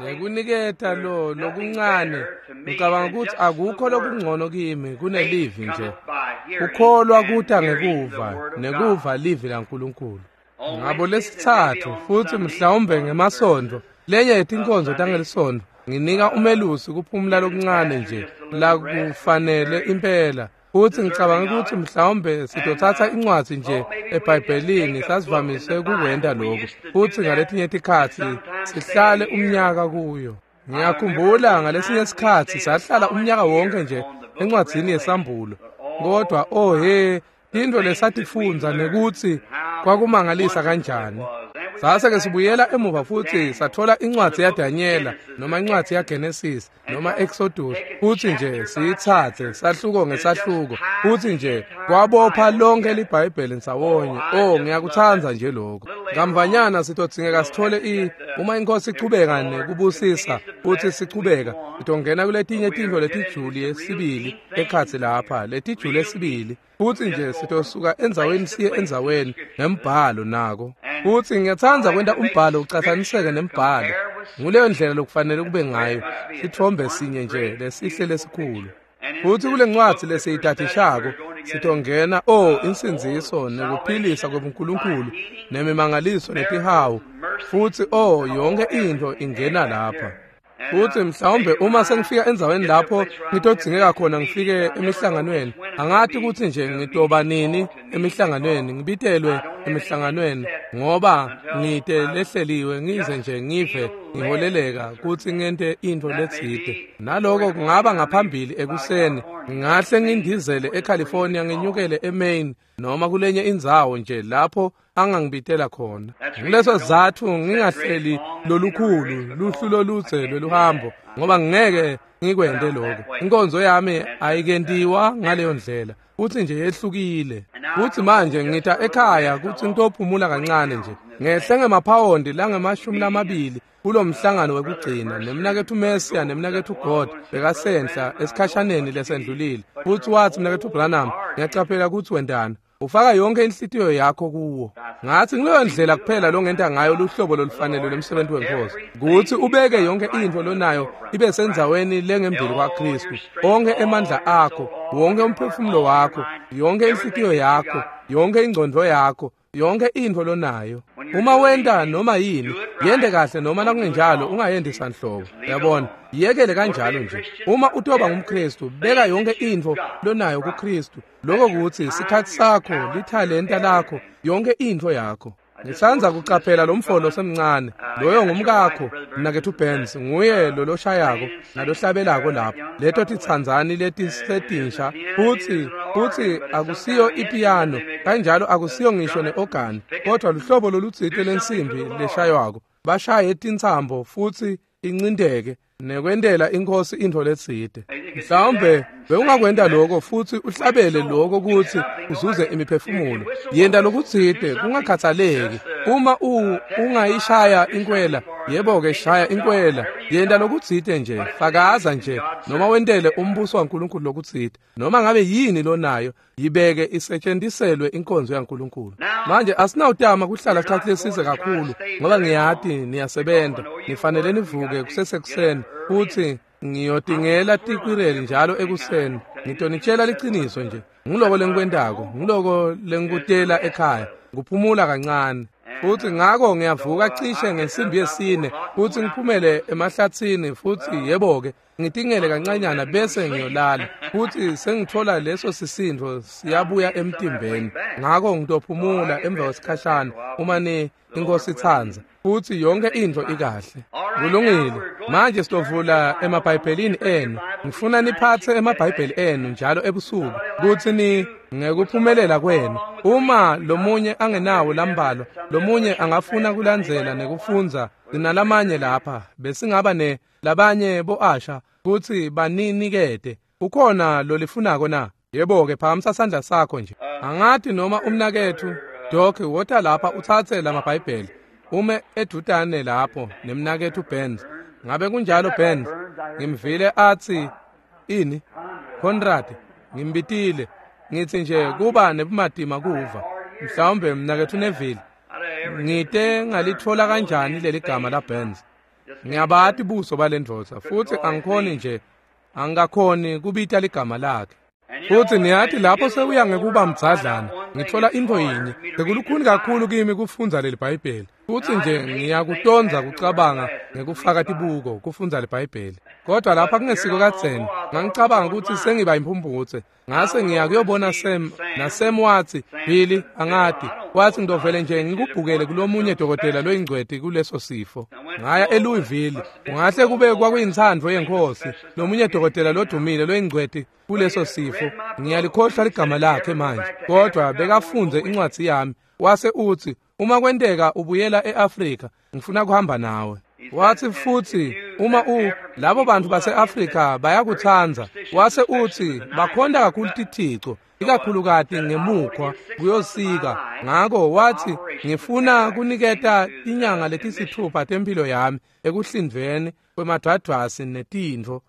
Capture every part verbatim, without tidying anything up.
Nekuniketa lo lokuncane, ngicabanga ukuthi akukho lokungcono kimi kunelivi nje. Kukholwa kuta ngekuva, nekuva livi laNkulunkulu. Ngabo lesithathu futhi mhlawumbe ngemasondo, lenye yetinkonzo tangelisonto, nginika umelusi kuphumula lokuncane nje la kufanele impela. Futhi ngicabanga ukuthi mhlawumbe sitothatha incwadi nje eBhayibhelini, sasivamise ukukwenta lokho, futhi ngaletinye tikhatsi sihlale umnyaka kuyo. Ngiyakhumbula ngalesinye isikhatsi sahlala umnyaka wonke nje encwadzini yeSambulo, kodwa oh he, tintfo lesatifundza nekuthi kwakumangalisa kanjani. Sase-ke sibuyela emuva futhi sathola incwadi yaDanyela noma incwadi yaGenesis noma Exodus, futhi nje siyithathe sahluko ngesahluko, futhi nje kwabopha lonke liBhayibheli ndzawonye. Oh, ngiyakuthanda nje lokho. Kamvanyana sitodzingeka sithole i uma inkosi ichubeka nekubusisa futhi sichubeka, sitongena kuletinye tintfo letijuli esibili ekhatsi lapha, letijuli esibili, futhi nje sitosuka endzaweni siye endzaweni ngembhalo nako. Futhi ngiyathanda kwenta umbhalo ucathaniseke nembhalo. Nguleyo ndlela lokufanele kube ngayo, sithombe sinye nje lesihle lesikhulu. Futhi kule ncwadi lesiyitadishako sitongena oh insindziso nekuphilisa kwebuNkulunkulu nemimangaliso netihawu, futhi oh yonke into ingena lapha. Futhi mhlawumbe uma sengifika endzaweni lapho ngitodzingeka khona ngifike emihlanganweni, angathi ukuthi nje ngitoba nini emihlanganweni, ngibitelwe emihlanganweni, ngoba ngite lehleliwe ngize nje ngive ngiholeleka kutsi ngente intfo letsite. Naloko kungaba ngaphambili ekuseni, ngingahle ngindizele eCalifornia ngenyukele eMaine noma kulenye indzawo nje lapho angangibitela khona. Nguleso sizatfu ngingahleli lolukhulu luhlu loludze lweluhambo, ngoba ngeke ngikwente lokho. Inkonzo yami ayikentiwa ngaleyo ndlela, futhi nje yehlukile. Futhi manje ngita ekhaya kutsi ngitophumula kancane nje, ngehle ngemaphawondi langemashumi lamabili kulo mhlangano wekugcina nemnaketfu Mesiya nemnaketfu God bekasenhla esikhashaneni lesendlulile. Futhi watsi, mnaketfu Branham, ngiyacaphela kutsi wentani, ufaka yonke inhlitiyo yakho kuwo. Ngathi ngileyo ndlela kuphela longenta ngayo luhlobo lolufanele lwemsebenzi wenkosi, kutsi ubeke yonke intfo lonayo ibe sendzaweni lengembili kwaKristu. Onke emandla akho, wonke umphefumulo wakho, yonke inhlitiyo yakho, yonke ingcondvo yakho, yonke intfo lonayo. Uma wenta noma yini, yente kahle noma nakungenjalo ungayendi sanhlobo. Uyabona, yekele kanjalo nje. Uma utoba ngumKristu, beka yonke intfo lonayo kuKristu. Lokho kutsi sikhatsi sakho, lithalenta lakho, yonke intfo yakho. Ngitsandza kucaphela lo mfolo semncane, loyo ngumkakho, mnaketfu Benz, nguye loloshayako nalohlabelako lapho. Leto titsandzani letisetinsha, futsi futsi akusiyo ipiyano, kanjalo akusiyo ngisho neorgan, kodwa luhlobo lolutsite lensimbi leshaywako. Bashaye tintsambo futhi incindeke nekwentela inkosi intfo letsite. Mhlawumbe bewungakwenta lokho futhi uhlabele lokho kutsi uzuze imiphefumulo. Yenta lokutsite kungakhathaleki. Uma u ungayishaya inkwela, yebo-ke shaya inkwela. Yenta lokutsite nje, fakaza nje, noma wentele umbuso waNkulunkulu lokutsite. Noma ngabe yini lonayo, yibeke isetshentiselwe inkonzo yaNkulunkulu. Manje asinawutama kuhlala sikhatsi lesise kakhulu, ngoba ngiyati niyasebenta, nifanele nivuke kusesekuseni, futhi ngiyotingela tikwireli njalo ekuseni. Ngitonitshela liciniso nje, ngiloko lengikwentako, ngiloko lengikutela ekhaya, kuphumula kancane. Futhi ngako ngiyavuka cishe ngensimbi yesine futhi ngiphumele emahlatsini, futhi yebo-ke ngitingele kancanyana bese ngiyolala, futhi sengithola leso sisindvo siyabuya emtimbeni. Ngako ngitophumula emva kwesikhashana uma ni inkosi itsandza, futhi yonke intfo ikahle. Kulungile. Manje sitovula emaBhayibhelini enu. Ngifuna niphatse emaBhayibheli enu njalo ebusuku kutsi ni ngekuphumelela kwenu. Uma lomunye angenawo lambalwa, lomunye angafuna kulandzela nekufundza, sinalamanye lapha, besingaba ne labanye bo-asha kutsi baninikete. Ukhona lolifunako na? Yebo-ke, phakamisa sandla sakho nje. Angati noma umnaketfu Doc wota lapha utsatse lamaBhayibheli, ume edvutane lapho nemnaketfu Benz. Ngabe kunjalo Benz? Ngimvile atsi ini? Conrad, ngimbitile. Ngitsi nje kuba nebumatima kuva. Mhlawumbe mnaketfu Neville. ngite ngalitfola kanjani leli gama la Burns. Ngiyabati buso balendvodza futsi angikhoni nje angakhoni kubita ligama lakhe. Futsi niyati lapho sewuya ngekuba mdzadlana ngitfola intfo yinye bekulukhuni kakhulu kimi kufundza leli Bhayibheli. Futsi nje ngiyakutonza kucabanga ngekufaka tibuko kufundza liBhayibheli. Kodwa lapha kungesiko kadzeni ngangicabanga ukuthi sengiba imphumphutse. Ngase ngiya kuyobona Sam na Sam wathi Billy angati wathi ngidovele nje ngikubhukele kulomunye dokotela loyingcweti kuleso sifo. Ngaya eLouisville ungahle kube kwakuyintsandvo yenkosi lomunye dokotela lodumile loyingcweti kuleso sifo. Ngiyalikhohlwa ligama lakhe manje kodwa bekafundze incwadzi yami wase uthi uma kwenteka ubuyela eAfrika ngifuna kuhamba nawe. Wathi futhi uma u labo bantu baseAfrika bayakutsandza wase uthi bakhonda kakhulu tithico ikakhulukati ngemukhwa kuyosika. Ngako wathi ngifuna kuniketa inyanga letisithupha tempilo yami ekuhlindveni kwemadwadwasi netintfo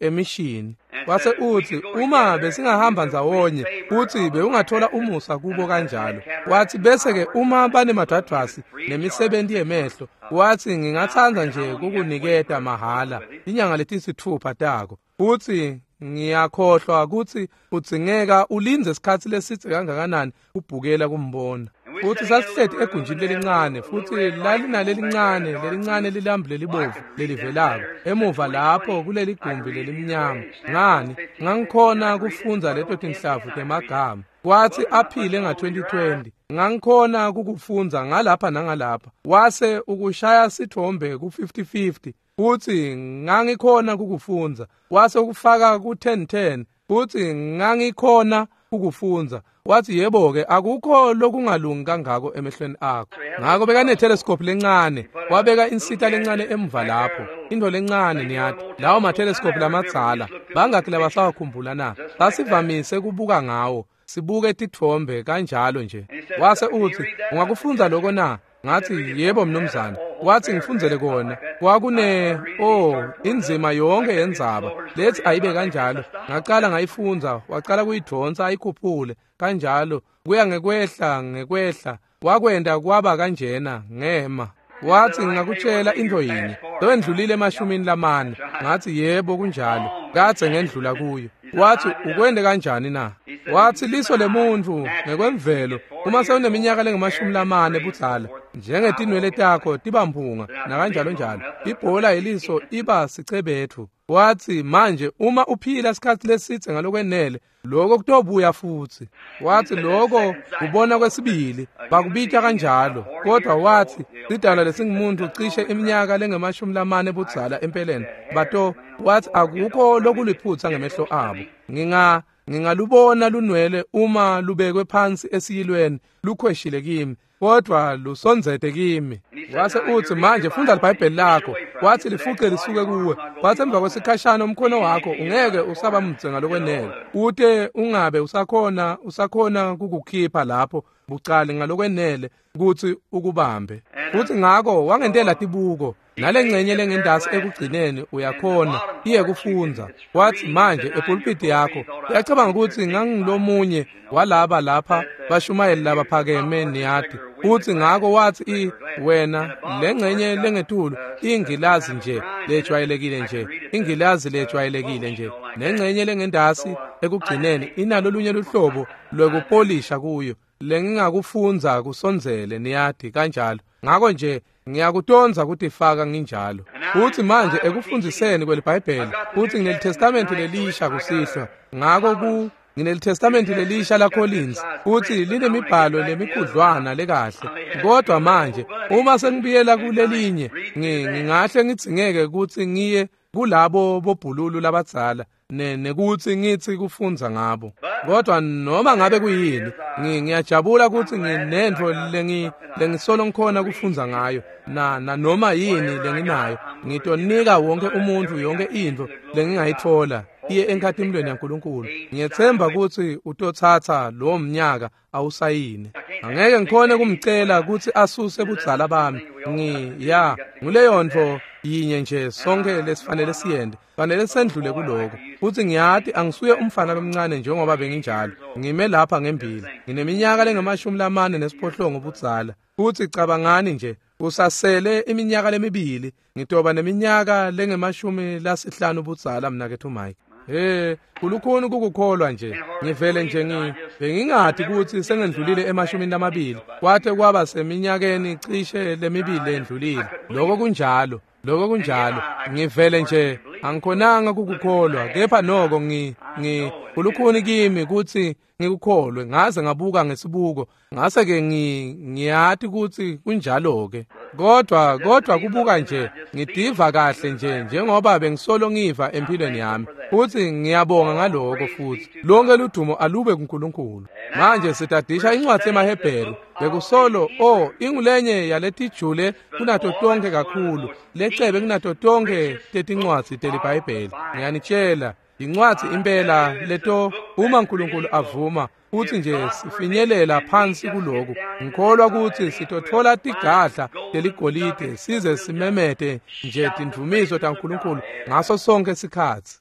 emishini. Wase uthi uma besingahamba ndzawonye uthi bewungathola umusa kubo kanjalo. Wathi bese ke uma banemadwadwasi nemisebenti yemehlo wathi ngingatsandza nje kukuniketa mahala inyanga letisithupha tako. Uthi ngiyakhohlwa ukuthi udzingeka ulindze isikhatsi lesitse kangakanani ubhukela kumbona. Futhi sasihleti egunjini lelincane futhi lalinalelincane lelincane lilambu lelibovu lelivelako emuva lapho kuleli gumbi lelimnyama. Ngani ngangikhona kufundza leto tinhlavu temagama. Wathi aphile nga twenty twenty ngangikhona kukufundza ngalapha nangalapha. Wase ukushaya sithombe ku fifty fifty futhi ngangikhona kukufundza. Wase ukufaka ku ten ten futhi ngangikhona ukufundza. Wathi yebo ke akukho lokungalungi kangako emehlweni akho. Ngako bekane telescope lencane wabeka insita lencane emva lapho into lencane niyati lawo ma telescope lamadzala bangakhi labasawakhumbula na basivamise kubuka ngawo sibuke titfombe kanjalo nje. Wase uthi ungakufundza lokho na? Ngathi yebo mnumzane. Wathi ngifundzele kona. Kwakune oh inzima yonke yendzaba lethi ayibe kanjalo. Ngaqala ngayifundza waqala kuyidonsa ayikhuphule kanjalo kuya ngekwehla ngekwehla wakwenda kwaba kanjena ngema. Wathi ngingakutshela into yinye lowendlulile emashumini lamane. Ngathi yebo kunjalo kadze ngendlula kuyo. Wathi ukwende kanjani na? Wathi liso lemuntu ngekwemvelo uma sewuneminyaka lengamashumi lamane budzala njengetinwele takho tibamphunga nakanjalo njalo ibhola yeliso iba sicebethu. Wathi manje uma uphila isikhathi lesitse ngalokwenele lokho kutobuya futhi. Wathi lokho kubona kwesibili bakubita kanjalo. Kodwa wathi sidalwa lesingumuntu cishe iminyaka lengamashumi lamane budzala empeleni bato wathi akukho lokuliphutha ngemehlo abo. Nginga ngingalubona lunwele uma lubekwe phansi esiyilweni lukhweshile kimi kodwa lusondzete kimi. Wase uthi manje funda iBhayibheli lakho. Wathi lifuce lisuke kuwe. Wathi emva kwesikhashana umkhono wakho ungeke usaba mdze ngalokwenele ute ungabe usakhona usakhona kukukhipha lapho bucali ngalokwenele ukuthi ukubambe. Futhi ngako wangentela tibuko nalengcenye lengentasi ekugcineni uyakhona iye kufundza. Wathi manje epulpiti yakho uyacabanga ukuthi ngangilomunye walaba lapha bashumayeli labaphakeme niyati. Uthi ngako wathi i wena lengcenye lengetulu ingilazi nje lejwayelekile nje ingilazi lejwayelekile nje nengcenye lengentasi ekugcineni inalo lunye luhlobo lwekupolisha kuyo lengingakufundza kusondzele niyati kanjalo. Ngako nje ngiyakutonza kutifaka nginjalo. Uthi manje ekufundziseni kweliBhayibheli uthi nginelitestamente lelisha kusihlwa. Ngako ku nginelitestamente lelisha la Collins uthi linemibhalo lemikhudlwana lekahle. Kodwa manje uma sengibuyela kulelinye ngingahle ngidzingeke ukuthi ngiye kulabo bobhululu labadzala nekuthi ngithi kufundza ngabo. Kodwa noma ngabe kuyini ngiyajabula ukuthi nginentfo lengi lengisolo ngikhona kufundza ngayo na na noma yini lenginayo ngitonika wonke umuntu yonke intfo lengingayithola iye enkhatimulweni yaNkulunkulu. Ngiyethemba ukuthi utothatha lo mnyaka awusayine. Angeke ngikhone kumcela ukuthi asuse budzala bami. Ngiya nguleyo ntfo yinye nje sonke lesifanele siyende, fanele sendlule kuloko. Futhi ngiyati angisuye umfana lomncane njengoba benginjalo. Ngime lapha ngembili, ngineminyaka lengamashumi lamane nesiphohlongo budzala. Futhi cabangani nje, usasele iminyaka lemibili, ngitoba neminyaka lengemashumi lasihlanu budzala mnaketfu Mike. Hey, kulukhuni kukukholwa nje. Ngivele nje ngi bengingati ukuthi sengendlulile emashumini lamabili. Kwathe kwaba seminyakeni cishe lemibili lendlulile. Lokho kunjalo, lokho kunjalo. Ngivele nje angikhonanga kukukholwa, kepha noko ngi ngi kulukhuni kimi ukuthi ngikukholwe. Ngaze ngabuka ngesibuko, ngase ke ngi ngiyati ukuthi kunjalo ke. Kodwa kodwa kubuka nje ngidiva kahle nje njengoba bengisolo ngiva empilweni yami. Futhi ngiyabonga ngaloko futhi. Lonke ludumo alube kuNkulunkulu. Manje sitadisha incwadi emaHebheru. Bekusolo oh ingulenye yaletijule kunato tonke kakhulu. Lecebe kunato tonke tetincwadi teliBhayibheli. Ngiyanitshela incwadi impela leto uma uNkulunkulu avuma futhi nje sifinyelela phansi kuloko. Ngikholwa ukuthi sitothola tigadla teligolide size simemete nje tindumiso taNkulunkulu ngaso sonke isikhathi.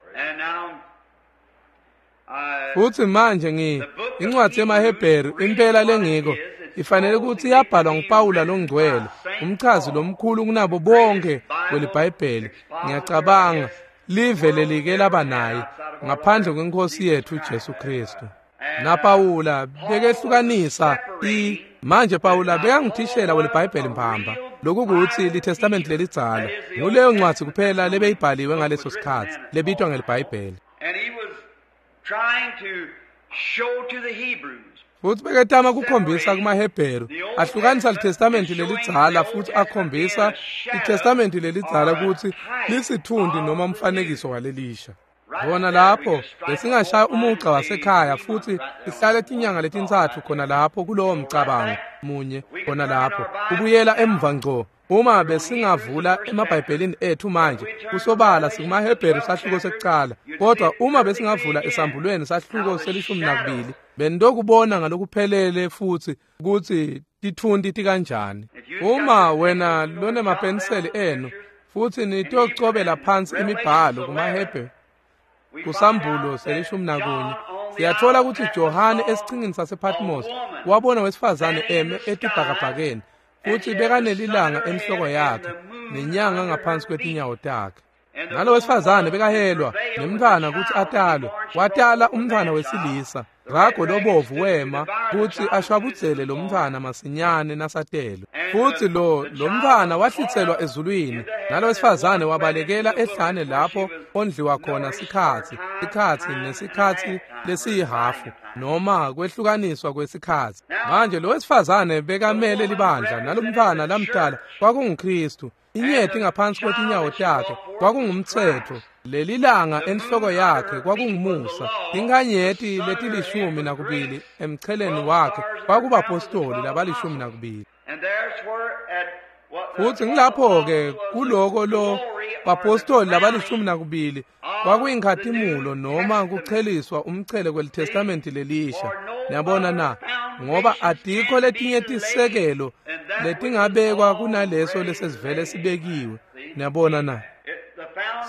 Futhi manje ngi incwadi yemaHebheru impela lengiko ifanele ukuthi yabhalwa nguPawula longcwele, umchazi lomkhulu kunabo bonke kweliBhayibheli. Ngiyacabanga live lelike laba naye ngaphandle kwenkosi yethu Jesu Kristu. Na Pawula bekehlukanisa i manje Pawula bekangithishela weliBhayibheli mbamba. Lokhu kuthi liTestament lelidzala nguleyo ncwadi kuphela lebeyibhaliwe ngaleso sikhathi lebitwa ngeliBhayibheli. Futhi beketama kukhombisa kumaHebheru ahlukanisa liTestament lelidzala futhi akhombisa iTestament lelidzala ukuthi lisithundi noma umfanekiso walelisha. Bona lapho besingashaya umugqa wasekhaya futhi sihlale tinyanga letintsatfu khona lapho kulowo mcabango munye khona lapho kubuyela emva ngco. Uma besingavula emaBhayibhelini ethu manje kusobala sikumaHebheru sahluko sekucala, kodwa uma besingavula esambulweni sahluko selishumi nakubili bendokubona ngalokuphelele futhi ukuthi tithunti tikanjani. Uma wena lonemapeniseli enu futhi nitocobela phansi imibhalo kumaHebheru kusambulo selishumi nakunye, siyathola ukuthi Johane esichingini sasePatmos wabona wesifazane eme etibhakabhakeni futhi bekanelilanga enhloko yakhe nenyanga ngaphansi kwetinyawo takhe. Nalo wesifazane bekahelwa nemntfwana ukuthi atalwe, watala umntfwana wesilisa. Rago lobovu wema kuthi ashwabudzele lo mntfwana masinyane nasatelwe. Futhi lo lo mntfwana wahlitselwa ezulwini, nalo wesifazane wabalekela ehlane lapho ondliwa khona sikhatsi, sikhatsi nesikhatsi lesiyihafu noma kwehlukaniswa kwesikhatsi. Manje lo wesifazane bekamele libandla, nalo mntfwana lamdala kwakunguKristu. Inyeti ngaphansi kwetinyawo takhe kwakungumtsetfo, lelilanga enhloko yakhe kwakungumusa, inkanyeti letilishumi nakubili emcheleni wakhe kwakubapostoli labalishumi nakubili. Futhi ngilapho-ke kuloko lo bapostoli labalishumi nakubili kwakuyinkhatimulo noma kucheliswa umchele kweliTestamenti lelisha. Niyabona na? Ngoba atikho letinye tisekelo letingabekwa kunaleso lesesivele sibekiwe. Niyabona na?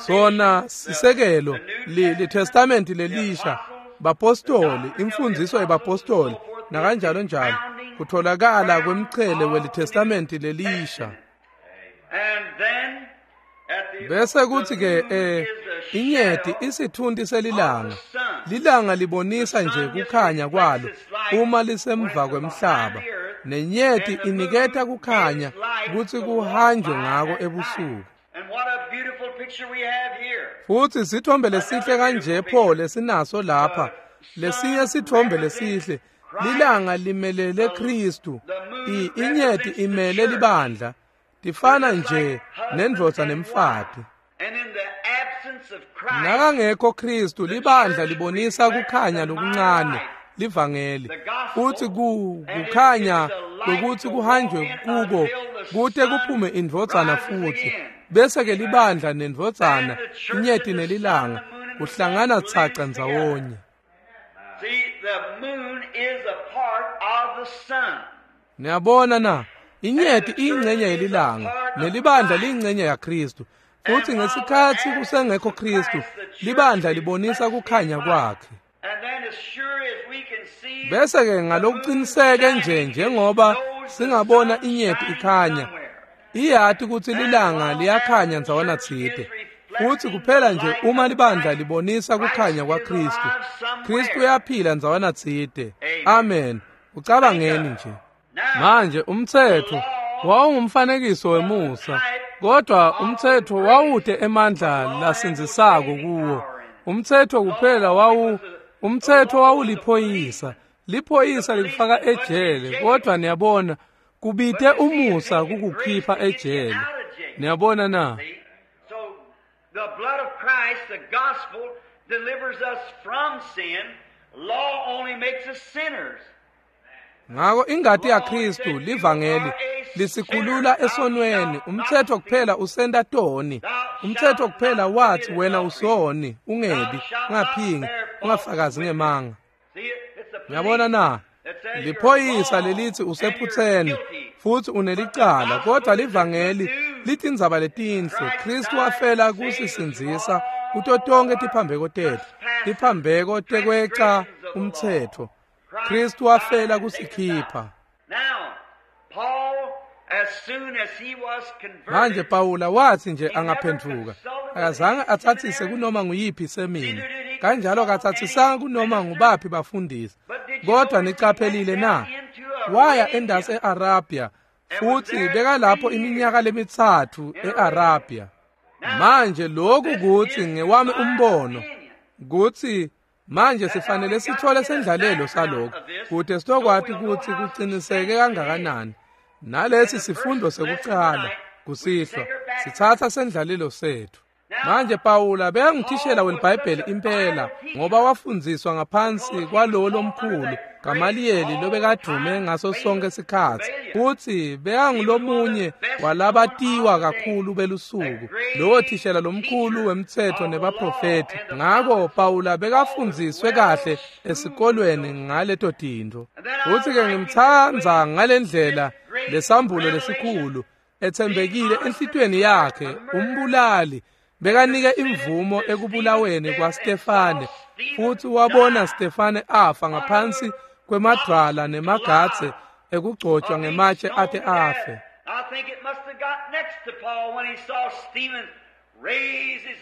Sona sisekelo liTestamenti lelisha, bapostoli, imfundiso yebapostoli nakanjalo njalo, kutholakala kwemchele weliTestamenti lelisha. Bese kuthi ke eh inyeti isithunti selilanga. Lilanga libonisa nje kukhanya kwalo uma lisemva kwemhlaba, nenyeti iniketa kukhanya kutsi kuhanjwe ngako ebusuku. Futhi sithombe lesihle kanje pho lesinaso lapha, lesinye sithombe lesihle. Lilanga limelele Kristu, inyeti imele libandla. Tifana nje nendvodza nemfati. Nakangekho Kristu, libandla libonisa kukhanya lokuncane, livangeli. Futhi kukhanya lokuthi kuhanjwe kuko kute kuphume indvodzana futhi. Bese ke libandla nendvodzana, inyeti nelilanga kuhlangana tsaca ndzawonye. Niyabona na? Inyeti iyingcenye yelilanga, nelibandla liyingcenye yaKristu. Futhi ngesikhathi kusengekho Kristu, libandla libonisa kukhanya kwakhe. Bese-ke ngalokuqiniseke nje njengoba singabona inyeti ikhanya, iyati ukuthi lilanga liyakhanya ndzawana tsite. Futhi kuphela nje uma libandla libonisa kukhanya kwaKristu, Kristu uyaphila ndzawana tsite. Amen. Ucabangeni nje. Manje umtsetfo wawungumfanekiso wemusa, kodwa umtsetfo wawute emandla lasindzisako kuwo. Umtsetfo kuphela wawu umtsetfo wawuliphoyisa. Liphoyisa likufaka ejele, kodwa niyabona kubite umusa kukukhipha ejele. Niyabona na? The blood of Christ, the gospel, delivers us from sin. Law only makes us sinners. Ngako ingati yaKristu livangeli lisikhulula esonweni. Umthetho kuphela usenda toni. Umthetho kuphela wathi wena usoni, ungebi, ungaphingi, ungafakazi ngemanga. Uyabona na? Liphoyisa lelithi usephutheni futhi unelicala, kodwa livangeli lithi indzaba letinhle. Kristu wafela kusisindzisa kuto tonke tiphambeko tetfu, tiphambeko tekweca umtsetfo. Kristu wafela kusikhipha. Manje Pawula wathi nje angaphenduka, akazange athathise kunoma nguyiphi semini, kanjalo akathathisanga kunoma ngubaphi bafundisi. Kodwa nicaphelile na? Waya endasi e-Arabia, futhi bekalapho iminyaka lemitsatfu e-Arabia. Manje lokhu kuthi ngewami umbono kuthi manje sifanele sithole sendlalelo salokho kude sitokwati ukuthi kuqiniseke kangakanani. Nalesi sifundo sekucala kusihlwa sithatha sendlalelo sethu. Manje Pawula bekangithishela weliBhayibheli impela, ngoba wafundziswa ngaphansi kwalowo lomkhulu Gamaliyeli lobekadume ngaso sonke sikhatsi, futhi bekangulomunye walabatiwa kakhulu belusuku, lowo thishela lomkhulu wemtsetfo nebaprofethi. Ngako Pawula bekafundziswe kahle esikolweni ngaleto tintfo. Futhi-ke ngimtsandza ngalendlela lesambulo lesikhulu ethembekile enhlitiyweni yakhe, umbulali bekanike imvumo ekubulaweni kwaStefane, futhi wabona Stefane afa ngaphansi kwemadwala nemagadze ekugcotshwa ngematshe ate afe.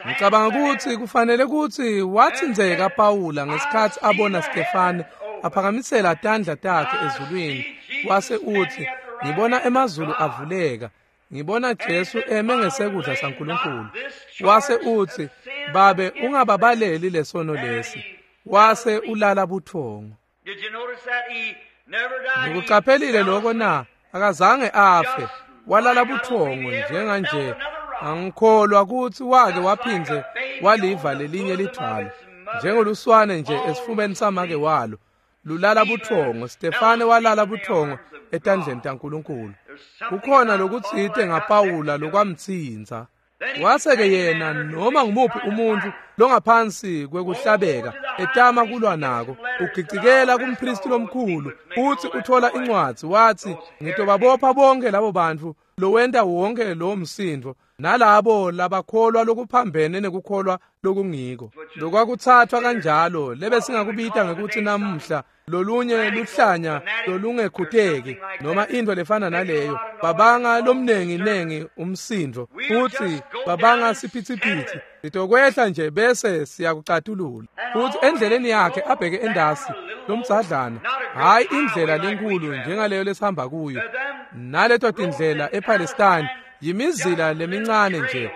Ngicabanga ukuthi kufanele ukuthi wathinzeka Pawula ngesikhathi abona Stefane aphakamisela tandla takhe ezulwini, wase uthi, ngibona emazulu avuleka, ngibona Jesu eme ngesekudla saNkulunkulu. Wase uthi, Babe ungababaleli lesono lesi. Wase ulala buthongo. Nikucaphelile lokho na? Akazange afe, walala buthongo njenganje. Angikholwa ukuthi wake waphindze waliva lelinye lidvwala, njengoluswane nje esifubeni samake walo lulala buthongo. Stefane walala buthongo etandleni taNkulunkulu. Kukhona lokutsite ngaPawula lokwamtsinza. Wase-ke yena noma ngumuphi umuntu longaphansi kwekuhlabeka etama kulwa nako, ugicikela kumpristi lomkhulu, uthi uthola incwadzi wathi, ngitobabopha bonke labo bantu lowenta wonke lowo msindo nalabo labakholwa lokuphambene nekukholwa lokungiko. Lokwakuthathwa kanjalo lebesingakubita ngekuthi namuhla lolunye luhlanya lolungekhuteki noma into lefana naleyo. Babanga lomnengi nengi umsindo futhi babanga siphithiphithi. Sitokwehla nje bese siyakucatulula. Futhi endleleni yakhe abheke endasi lomdzadlana, hayi indlela lenkulu njengaleyo lesihamba kuyo, naleto tindlela ePalestine yimizila lemincane nje,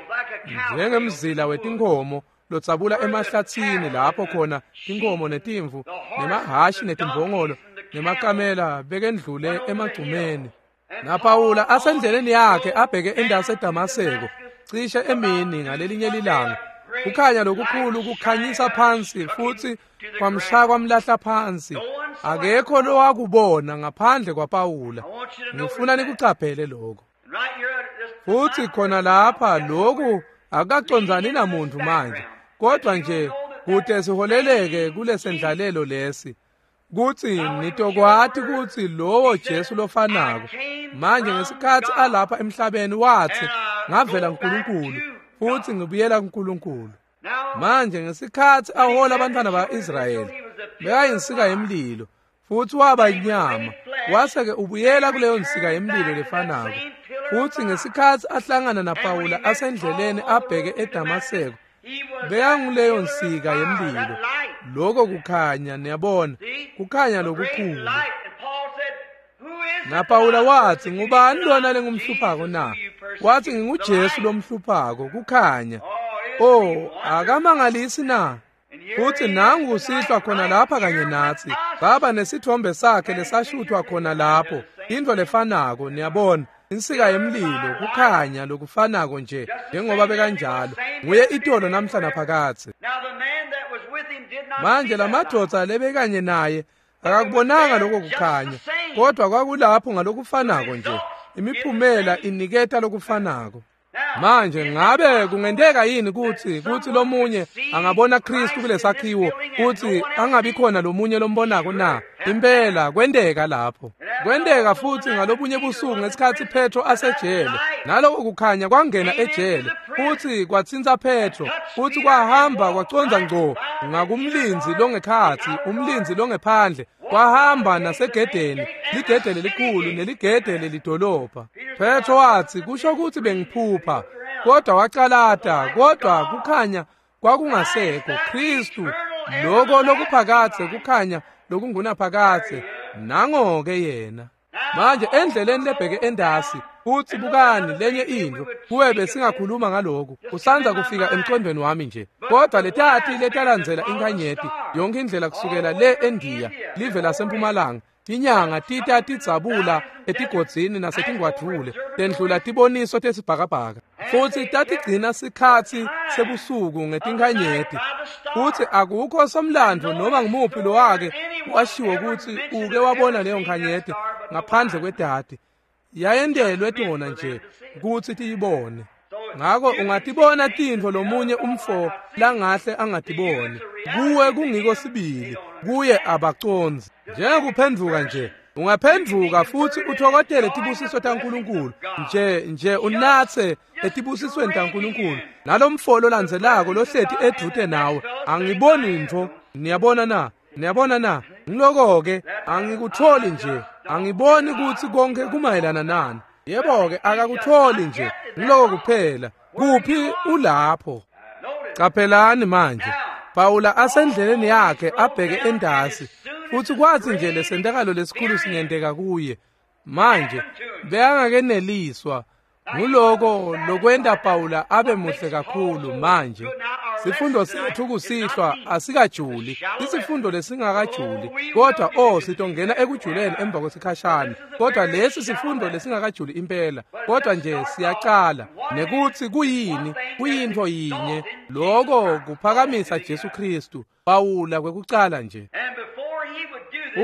njengemzila wetinkomo lotsabula emahlathini lapho khona tinkomo netimvu nemahashi netimbongolo nemakamela bekendlule emagcumeni. NaPawula asendleleni yakhe abheke endasi eDamaseko cishe emini ngalelinye lilanga, kukhanya lokukhulu kukhanyisa phansi futhi kwamshaya kwamlahla phansi. Akekho lowakubona ngaphandle kwaPawula. Ngifuna nikucaphele lokho. Futhi khona lapha lokhu akacondzani namuntu manje, kodwa nje kude siholeleke kulesendlalelo lesi, kuthi nitokwati ukuthi lowo Jesu lofanako manje ngesikhathi alapha emhlabeni wathi, ngavela uNkulunkulu futsi ngibuyela kuNkulunkulu. Manje ngesikhatsi ahola abantwana ba-Israyeli, bekayinsika yemlilo, futsi waba inyama, wase-ke ubuyela kuleyo nsika yemlilo lefanako. Futsi ngesikhatsi ahlangana naPawula asendleleni abheke eDamaseko, bekanguleyo nsika yemlilo. Lokho kukhanya, niyabona, kukhanya lokukhulu. NaPawula watsi, ngubani lona lengumhluphako na? Watsi, nginguJesu lomhluphako, kukhanya. Oh, akamangalisi na? Futsi nangu kusihlwa khona lapha kanye natsi. Baba nesithombe sakhe lesashuthwa khona lapho. Into lefanako, niyabona, insika yemlilo, kukhanya lokufanako nje, njengoba bekanjalo. Nguye itolo namhla naphakadze. Manje lamadvodza lebekanye naye akakubonanga lokho kukhanya, kodwa kwakulapho ngalokufanako nje. Imiphumela iniketa lokufanako. Manje ngabe kungenteka yini kutsi kutsi lomunye angabona Kristu kulesakhiwo kutsi angabi khona lomunye lombonako na? Impela kwenteka lapho. Kwenteka futsi ngalobunye busuku ngesikhatsi Petro asejele. Naloko kukhanya kwangena ejele futsi kwatsintsa Petro futsi kwahamba kwacondza ngco ngakumlindzi longekhatsi, umlindzi longephandle, kwahamba nasegedeni, ligede lelikhulu neligede lelidolobha. Petro watsi, kusho kutsi bengiphupha, kodwa wacalata, kodwa kukhanya kwakungasekho. Kristu, loko lokuphakadze, kukhanya lokungunaphakadze, nango-ke yena. Manje endleleni lebheke endasi, futsi bukani lenye intfo, kuwe besingakhuluma ngaloku, usandza kufika emcondweni wami nje. Kodwa letati letalandzela inkhanyeti, yonke indlela kusukela le eNdiya, live lasempumalanga, tinyanga tita tidzabula etigodzini nasetingwadvule, tendlula tiboniso tesibhakabhaka. Futsi tatigcina sikhatsi sebusuku ngetinkhanyeti. Futsi akukho somlandvo noma ngumuphi lowake washiwo kutsi uke wabona leyo nkhanyeti ngaphandle kwedati. Yayendelwe tona nje kutsi tiyibone. Ngako ungatibona tintfo lomunye umfo langahle angatiboni. Kuwe kungiko sibili, kuye abacondzi. Njengekuphendvuka nje, ungaphendvuka futsi uthokotele tibusiso taNkulunkulu nje nje unatse etibusisweni taNkulunkulu. Nalomfo lolandzelako lohleti edvute nawe, angiboni ntfo. Niyabona na? Niyabona na? Ngiloko-ke angikutholi nje, angiboni kutsi konke kumayelana nani. Yebo-ke akakutholi nje, ngiloko kuphela. Kuphi ulapho? Qaphelani manje, Pawula asendleleni yakhe abheke endasi, futsi kwatsi nje lesentakalo lesikhulu singenteka kuye. Manje bekangakeneliswa nguloko lokwenta Pawula abe muhle kakhulu. Manje sifundo sethu kusihlwa asikajuli, isifundo lesingakajuli, kodwa oh sitongena ekujuleni emva kwesikhashana. Kodwa lesi sifundo lesingakajuli impela, kodwa nje siyacala nekutsi kuyini, kuyintfo yinye, loko kuphakamisa Jesu Kristu. Pawula kwekucala nje.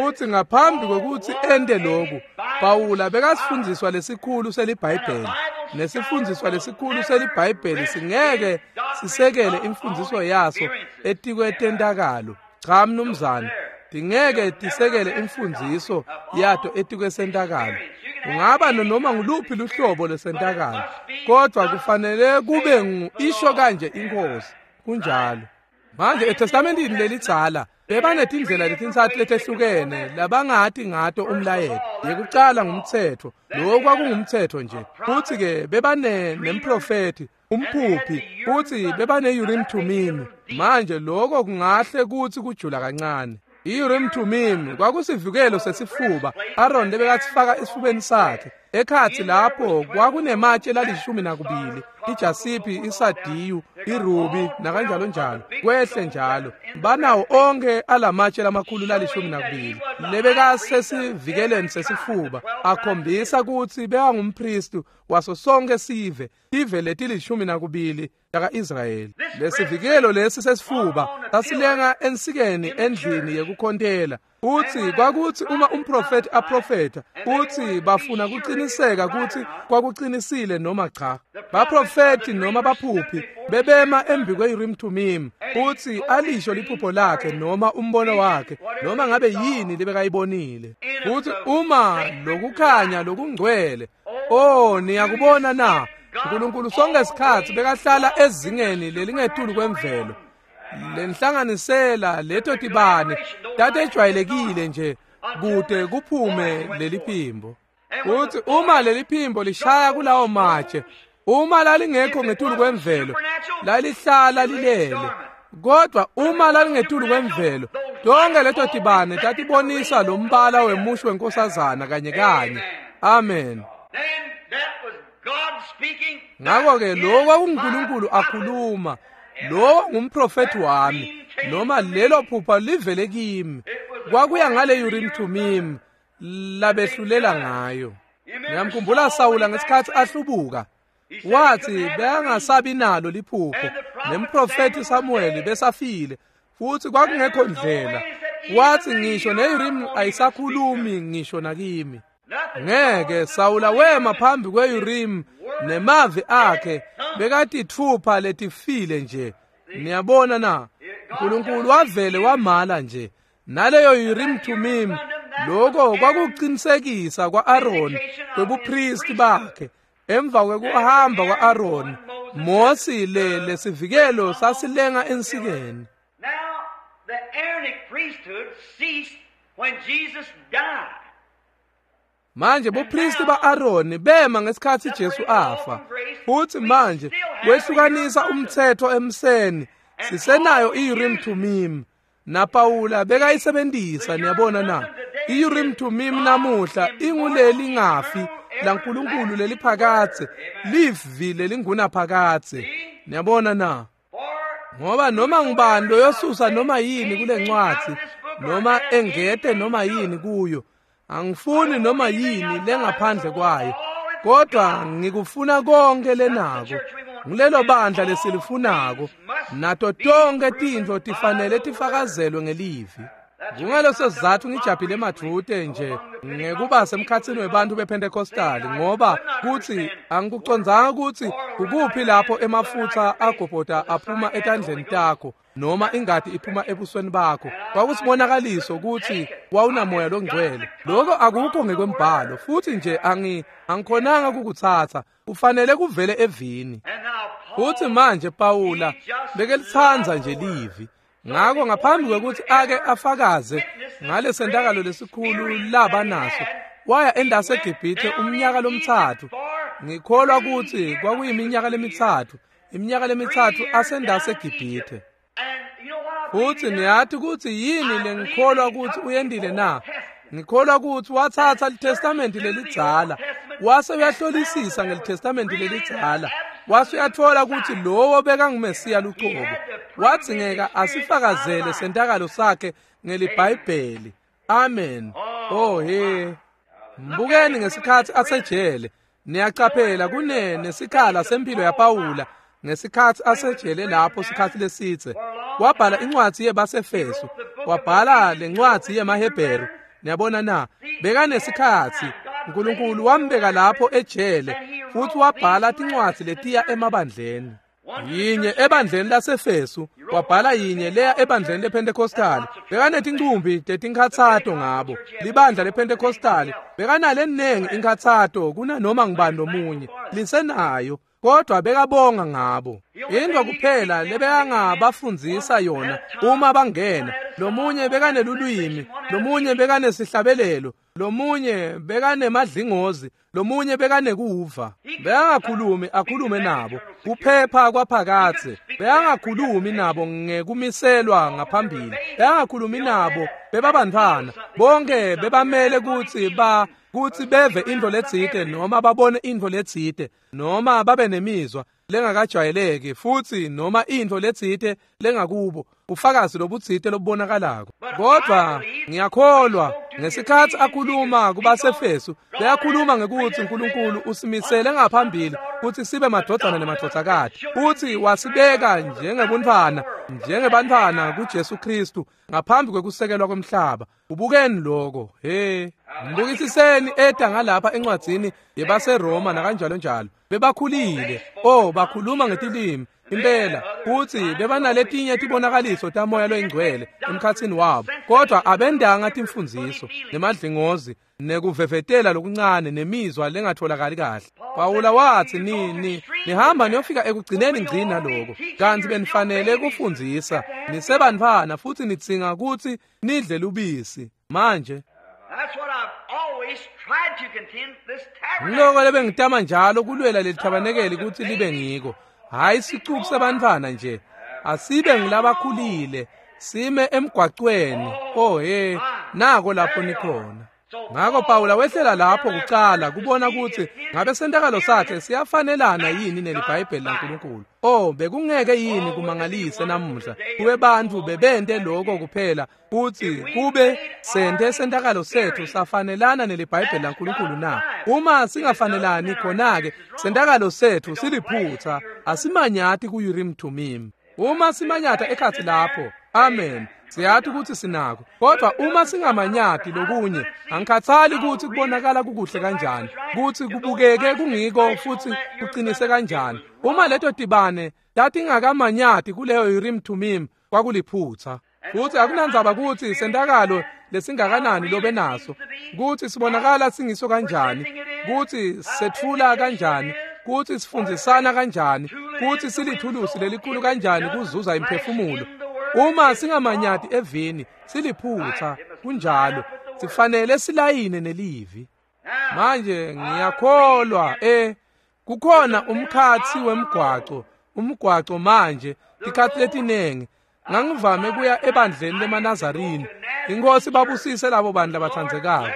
Utsi ngaphambi kwekutsi ente loku, Pawula bekasifundziswa lesikhulu seliBhayibheli. Nesifundziswa lesikhulu seliBhayibheli singeke sisekele imfundziso yaso etikwetentakalo. Cha mnumzane, tingeke tisekele imfundziso yato etikwesentakalo. Ungaba noma nguluphi luhlobo lwesentakalo, kodwa kufanele kube ngu isho kanje iNkhosi. Kunjalo. Manje eTestamentini lelidzala bebanetindlela letintsatfu letehlukene labangati ngato umlayeto. Yekucala ngumtsetfo, lowo kwakungumtsetfo nje. Futsi-ke bebane nemprofethi, umphuphi, futsi bebane-Urim Thummim. Manje lokho kungahle kutsi kujula kancane. I-Urim Thummim kwakusivikelo sesifuba Aaron lebekatsifaka esifubeni sakhe. Ekhatsi lapho kwakunematshe lalishumi nakubili, ijasiphi, isadiyu, irubi nakanjalo njalo, kwehle njalo. Banawo onke alamatshe lamakhulu lalishumi nakubili lebekasesivikeleni sesifuba, akhombisa kutsi bekangumpristi waso sonke sive, tive letilishumi nakubili taka-Israyeli. Lesivikelo lesi sesifuba sasilenga ensikeni endlini yekukhontela. Futsi kwakutsi uma umprofethi aprofetha, futsi bafuna kuciniseka kutsi kwakucinisile noma cha. Baprofethi noma baphuphi bebema embi kwe-Urim Thummim, futsi alisho liphupho lakhe noma umbono wakhe, noma ngabe yini lebekayibonile. Futsi uma lokukhanya lokungcwele, oh niyakubona na? Nkulunkulu sonke isikhatsi bekahlala ezingeni lelingetulu kwemvelo. Lenhlanganisela leto tibane tatejwayelekile nje kude kuphume leliphimbo. Kuthi uma leliphimbo lishaya kulawo matshe, uma lalingekho ngetulu kwemvelo, lalihlala lilele. Kodwa uma lalingetulu kwemvelo, tonke leto tibane tatibonisa lo mbala wemusho wenkosazana kanye kanye. Amen. Ngakho-ke lo kwakunguNkulunkulu akhuluma, lo ngumprofethi wami, noma lelo phupha livele kimi. Kwakuya ngale Urim Thummim labehlulela ngayo. Ngiyamkhumbula Sawula ngesikhathi ahlubuka, wathi bekangasabi nalo liphupho, nemprofethi Samuel besafile, futhi kwakungekho ndlela. Wathi ngisho ne-Urim ayisakhulumi ngisho nakimi. Ngeke Sawula wema phambi kwe-Urim nemavi akhe bekatithupha letifile nje. Niyabona na? uNkulunkulu wavele wamala nje. Naleyo Urim Thummim, lokho kwakuqinisekisa kwa-Aaron kwebupristi bakhe. Emva kwekuhamba kwa-Aaron, Mose le lesivikelo sasilenga ensikeni. Now the Aaronic priesthood ceased when Jesus died. Manje bupristi ba-Aaron bema ngesikhathi Jesu afa. Futhi manje wehlukanisa umthetho emseni, sisenayo i-Urim Thummim. NaPawula bekayisebenzisa, niyabona na? I-Urim Thummim namuhla inguleli ngafi laNkulunkulu leliphakadze, livi lelingunaphakadze. Niyabona na? Ngoba noma ngubani loyosusa noma yini kule ncwadi, noma engete noma yini kuyo, angifuni noma yini lengaphandle kwayo, kodwa ngikufuna konke lenako. Ngilelo bandla lesilifunako, nato tonke tintfo tifanele tifakazelwe ngelivi. Kungaleso sizatfu ngijabhile madvute nje ngekuba semkhatsini webantfu bePentecostal, ngoba kutsi angikucondzanga kutsi kukuphi lapho emafutsa agobhota aphuma etandleni takho noma ingati iphuma ebusweni bakho. Kwakusibonakaliso kutsi wawunamoya longcwele. Lokho akukho ngekwembhalo, futhi nje angi angikhonanga kukutsatsa, kufanele kuvele evini. Futhi manje Pawula bekelitsandza nje livi. Ngakho ngaphambi kwekuthi ake afakaze ngalesentakalo lesikhulu laba naso, waya endase eGibhithe umnyaka lomtsatfu. Ngikholwa ukuthi kwakuyiminyaka lemitsatfu, iminyaka lemitsatfu asendase eGibhithe. Futhi niyathi ukuthi yini lengikholwa ukuthi uyendile na? Ngikholwa ukuthi wathatha liTestamenti lelidzala, wase uyahlolisisa ngeliTestamenti lelidzala, wase uyathola ukuthi lowo bekanguMesiya lucobo. Wadzingeka asifakazele sentakalo sakhe ngeliBhayibheli. Amen. Oh he. Mbukeni ngesikhathi asejele. Niyacaphela kune nesikhala sempilo yaPawula ngesikhathi asejele lapho sikhathi lesitse. Wabhala incwadi yebaseFesu, wabhala lencwadi yemaHebheru. Niyabona na? Bekanesikhathi uNkulunkulu wambeka lapho ejele, futhi wabhala tincwadi letiya emabandleni. Yinye ebandleni laseFesu, wabhala yinye leya ebandleni lePentecostal. Bekanetincumbi tetinkhatsato ngabo. Libandla lePentecostal bekanale nengi inkhatsato kunanoma ngubani lomunye. Lisenayo, kodwa bekabonga ngabo. Into kuphela lebekangabafundzisa yona uma bangena, lomunye bekanelulwimi, lomunye bekanesihlabelelo, lomunye bekanemadlingozi, lomunye bekanekuva. Bekangakhulumi akhulume nabo kuphepha kwaphakadze. Bekangakhulumi nabo ngekumiselwa ngaphambili. Bekangakhulumi nabo bebabantfwana. Bonke bebamele kutsi ba kutsi beve intfo letsite noma babone intfo letsite noma babe nemizwa lengakajwayeleki, futhi noma intfo letsite lengakubo, ufakazi lobutsite lobubonakalako. Kodwa ngiyakholwa ngesikhathi akhuluma kubaseFesu, beyakhuluma ngekuthi uNkulunkulu usimisele ngaphambili ukuthi sibe madvodzana nemadvodzakati, futhi wasibeka njengebuntfwana, njengebantfwana kuJesu Kristu ngaphambi kwekusekelwa kwemhlaba. Ubukeni lokho. He, mbukisiseni eta ngalapha encwadzini yebaseRoma nakanjalo njalo. Bebakhulile. Oh, bakhuluma ngetilimi. Impela kutsi bebanaletinye tibonakaliso tamoya loyingcwele emkhatsini wabo, kodwa abendanga timfundziso nemadlingozi nekuvevetela lokuncane nemizwa lengatholakali kahle. Pawula watsi ni ni nihamba niyofika ekugcineni ngcina lokho, kantsi benifanele kufundzisa nisebantfwana futsi nidzinga kutsi nidle lubisi. Manje ngiloko lebengitama njalo kulwela leli thabanekeli kutsi libe ngiko, hhayi sicuku sebantfwana nje, asibe ngilabakhulile sime emgwacweni. Oh he, nako lapho nikhona. Ngako Pawula wehlela lapho kucala kubona kutsi ngabe sentakalo sakhe siyafanelana yini neliBhayibheli laNkulunkulu. Oh, bekungeke yini kumangalise namuhla kube bantfu bebente lokho kuphela kutsi kube sente sentakalo sethu safanelana neliBhayibheli laNkulunkulu na? Uma singafanelani khona-ke sentakalo sethu siliphutsa, asimanyati ku-Urim Thummim. Uma simanyata ekhatsi lapho, amen, siyati kutsi sinako. Kodwa uma singamanyati lokunye, angikhathali kutsi kubonakala kukuhle kanjani, kutsi kubukeke kungiko futsi kuqinise kanjani, uma leto tibane tatingakamanyati kuleyo Urim Thummim kwakuliphutsa. Futsi akunandzaba kutsi sentakalo lesingakanani lobe naso, kutsi sibonakala singiso kanjani, kutsi setfula kanjani, kutsi sifundzisana kanjani, kutsi silithulusi lelikhulu kanjani kuzuza imphefumulo, uma singamanyati evini siliphutsa. Kunjalo, sifanele silayine nelivi. Manje ngiyakholwa eh kukhona umkhatsi wemgwaco, umgwaco manje tikhatsi letinengi ngangivame kuya ebandleni lemaNazarini. Inkosi babusise labo bantu labathandzekako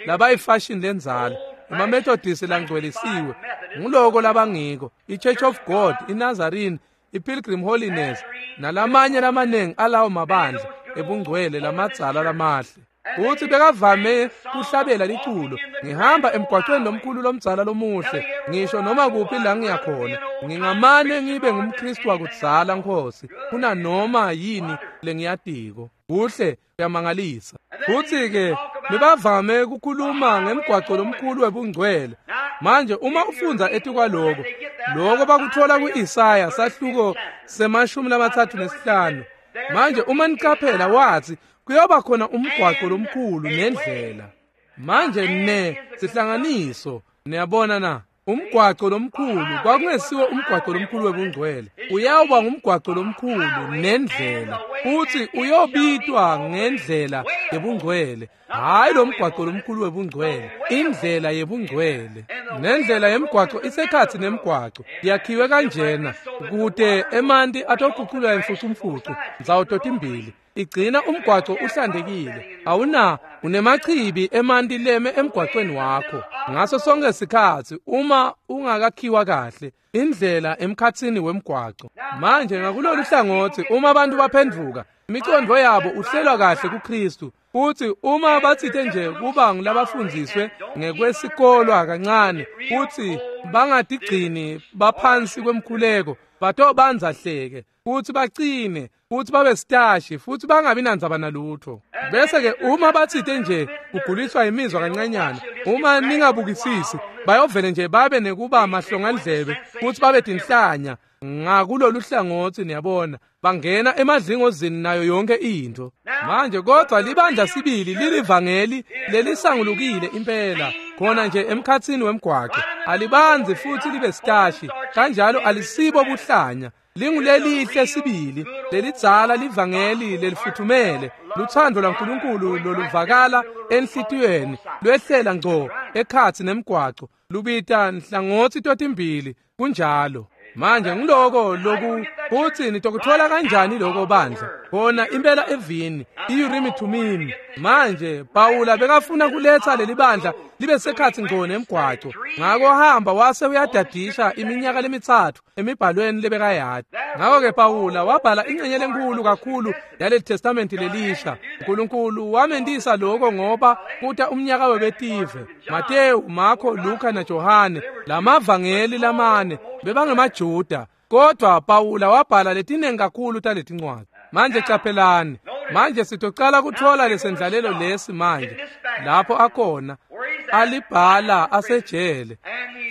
labayifashion lenzala, emaMethodist langcwelisiwe, nguloko labangiko, iChurch of God, iNazarene, iPilgrim Holiness nalamanye lamanengi alawo mabandla ebungcwele lamadzala lamahle. Futhi bekavame kuhlabela liculo, ngihamba emgwaqweni lomkhulu lomdzala lomuhle, ngisho noma kuphi la ngiyakhona, ngingamane ngibe ngumKristu wakudzala Nkosi kunanoma yini lengiyatiko. Kuhle, kuyamangalisa. Futhi-ke bebavame kukhuluma ngemgwaco lomkhulu webungcwele. Manje uma ufundza etikwaloko, loko bakuthola ku-Isaya sahluko semashumi lamatsatfu nesihlanu. Manje uma nicaphela wathi kuyoba khona umgwaco lomkhulu nendlela. Manje ne sihlanganiso, niyabona na, umgwaco lomkhulu kwakungesiwo umgwaco lomkhulu webungcwele, uyawuba ngumgwaco lomkhulu nendlela, futhi uyobitwa ngendlela yebungcwele. Hhayi lo mgwaco lomkhulu webungcwele, indlela yebungcwele. Nendlela yemgwaco isekhatsi nemgwaco, yakhiwe kanjena kute emanti atoguculwa imfucumfucu ndzawo totimbili. Igcina umgwaco uhlantekile, awuna unemachibi emanti leme emgwacweni wakho ngaso sonke sikhatsi uma ungakakhiwa kahle indlela emkhatsini wemgwaco. Manje ngakulolu hlangothi uma abantu baphendvuka imicondvo yabo uhlelwa kahle kuKristu, futhi uma batsite nje kuba ngulabafundziswe ngekwesikolwa kancane futhi bangatigcini baphansi kwemkhuleko, batobanza hleke futhi bacine futhi babe sitashi futhi bangabi nandzaba nalutho. Bese-ke uma batsite nje kuguliswa imizwa kancanyana, uma ningabukisisi bayovele nje babe nekuba mahlongandlebe futhi babe tinhlanya ngakulolu hlangothi, niyabona, bangena emadlingozini nayo yonke into. Manje kodwa libandla sibili lilivangeli lelisangulukile impela khona nje emkhatsini wemgwaco, alibanzi futhi libe sitashi kanjalo, alisibo buhlanya, lingulelihle sibili lelidzala livangeli lelifuthumele, luthando lwaNkulunkulu loluvakala enhlitiyweni lwehlela ngco ekhatsi nemgwaco, lubita nhlangothi totimbili. Kunjalo. Manje ngiloko loku kutsi nitokuthola kanjani lokho bandla khona impela evini i-Urim Thummim. Manje Pawula bekafuna kuletsa leli bandla libe sekhatsi ngco nemgwaco, ngako hamba wase uyadadisha iminyaka lemitsatfu emibhalweni lebekayati. Ngako-ke Pawula wabhala ingcenye lenkulu kakhulu yaleli testamenti lelisha. uNkulunkulu wamentisa lokho ngoba kuta umnyaka webetive, Mateyu, Marko, Luka naJohane, lamavangeli lamane bebangemaJuda, kodwa Pawula wabhala letinengi kakhulu taletincwadzi. Manje caphelani, manje sitocala kuthola lesendlalelo lesi manje lapho akhona alibhala asejele,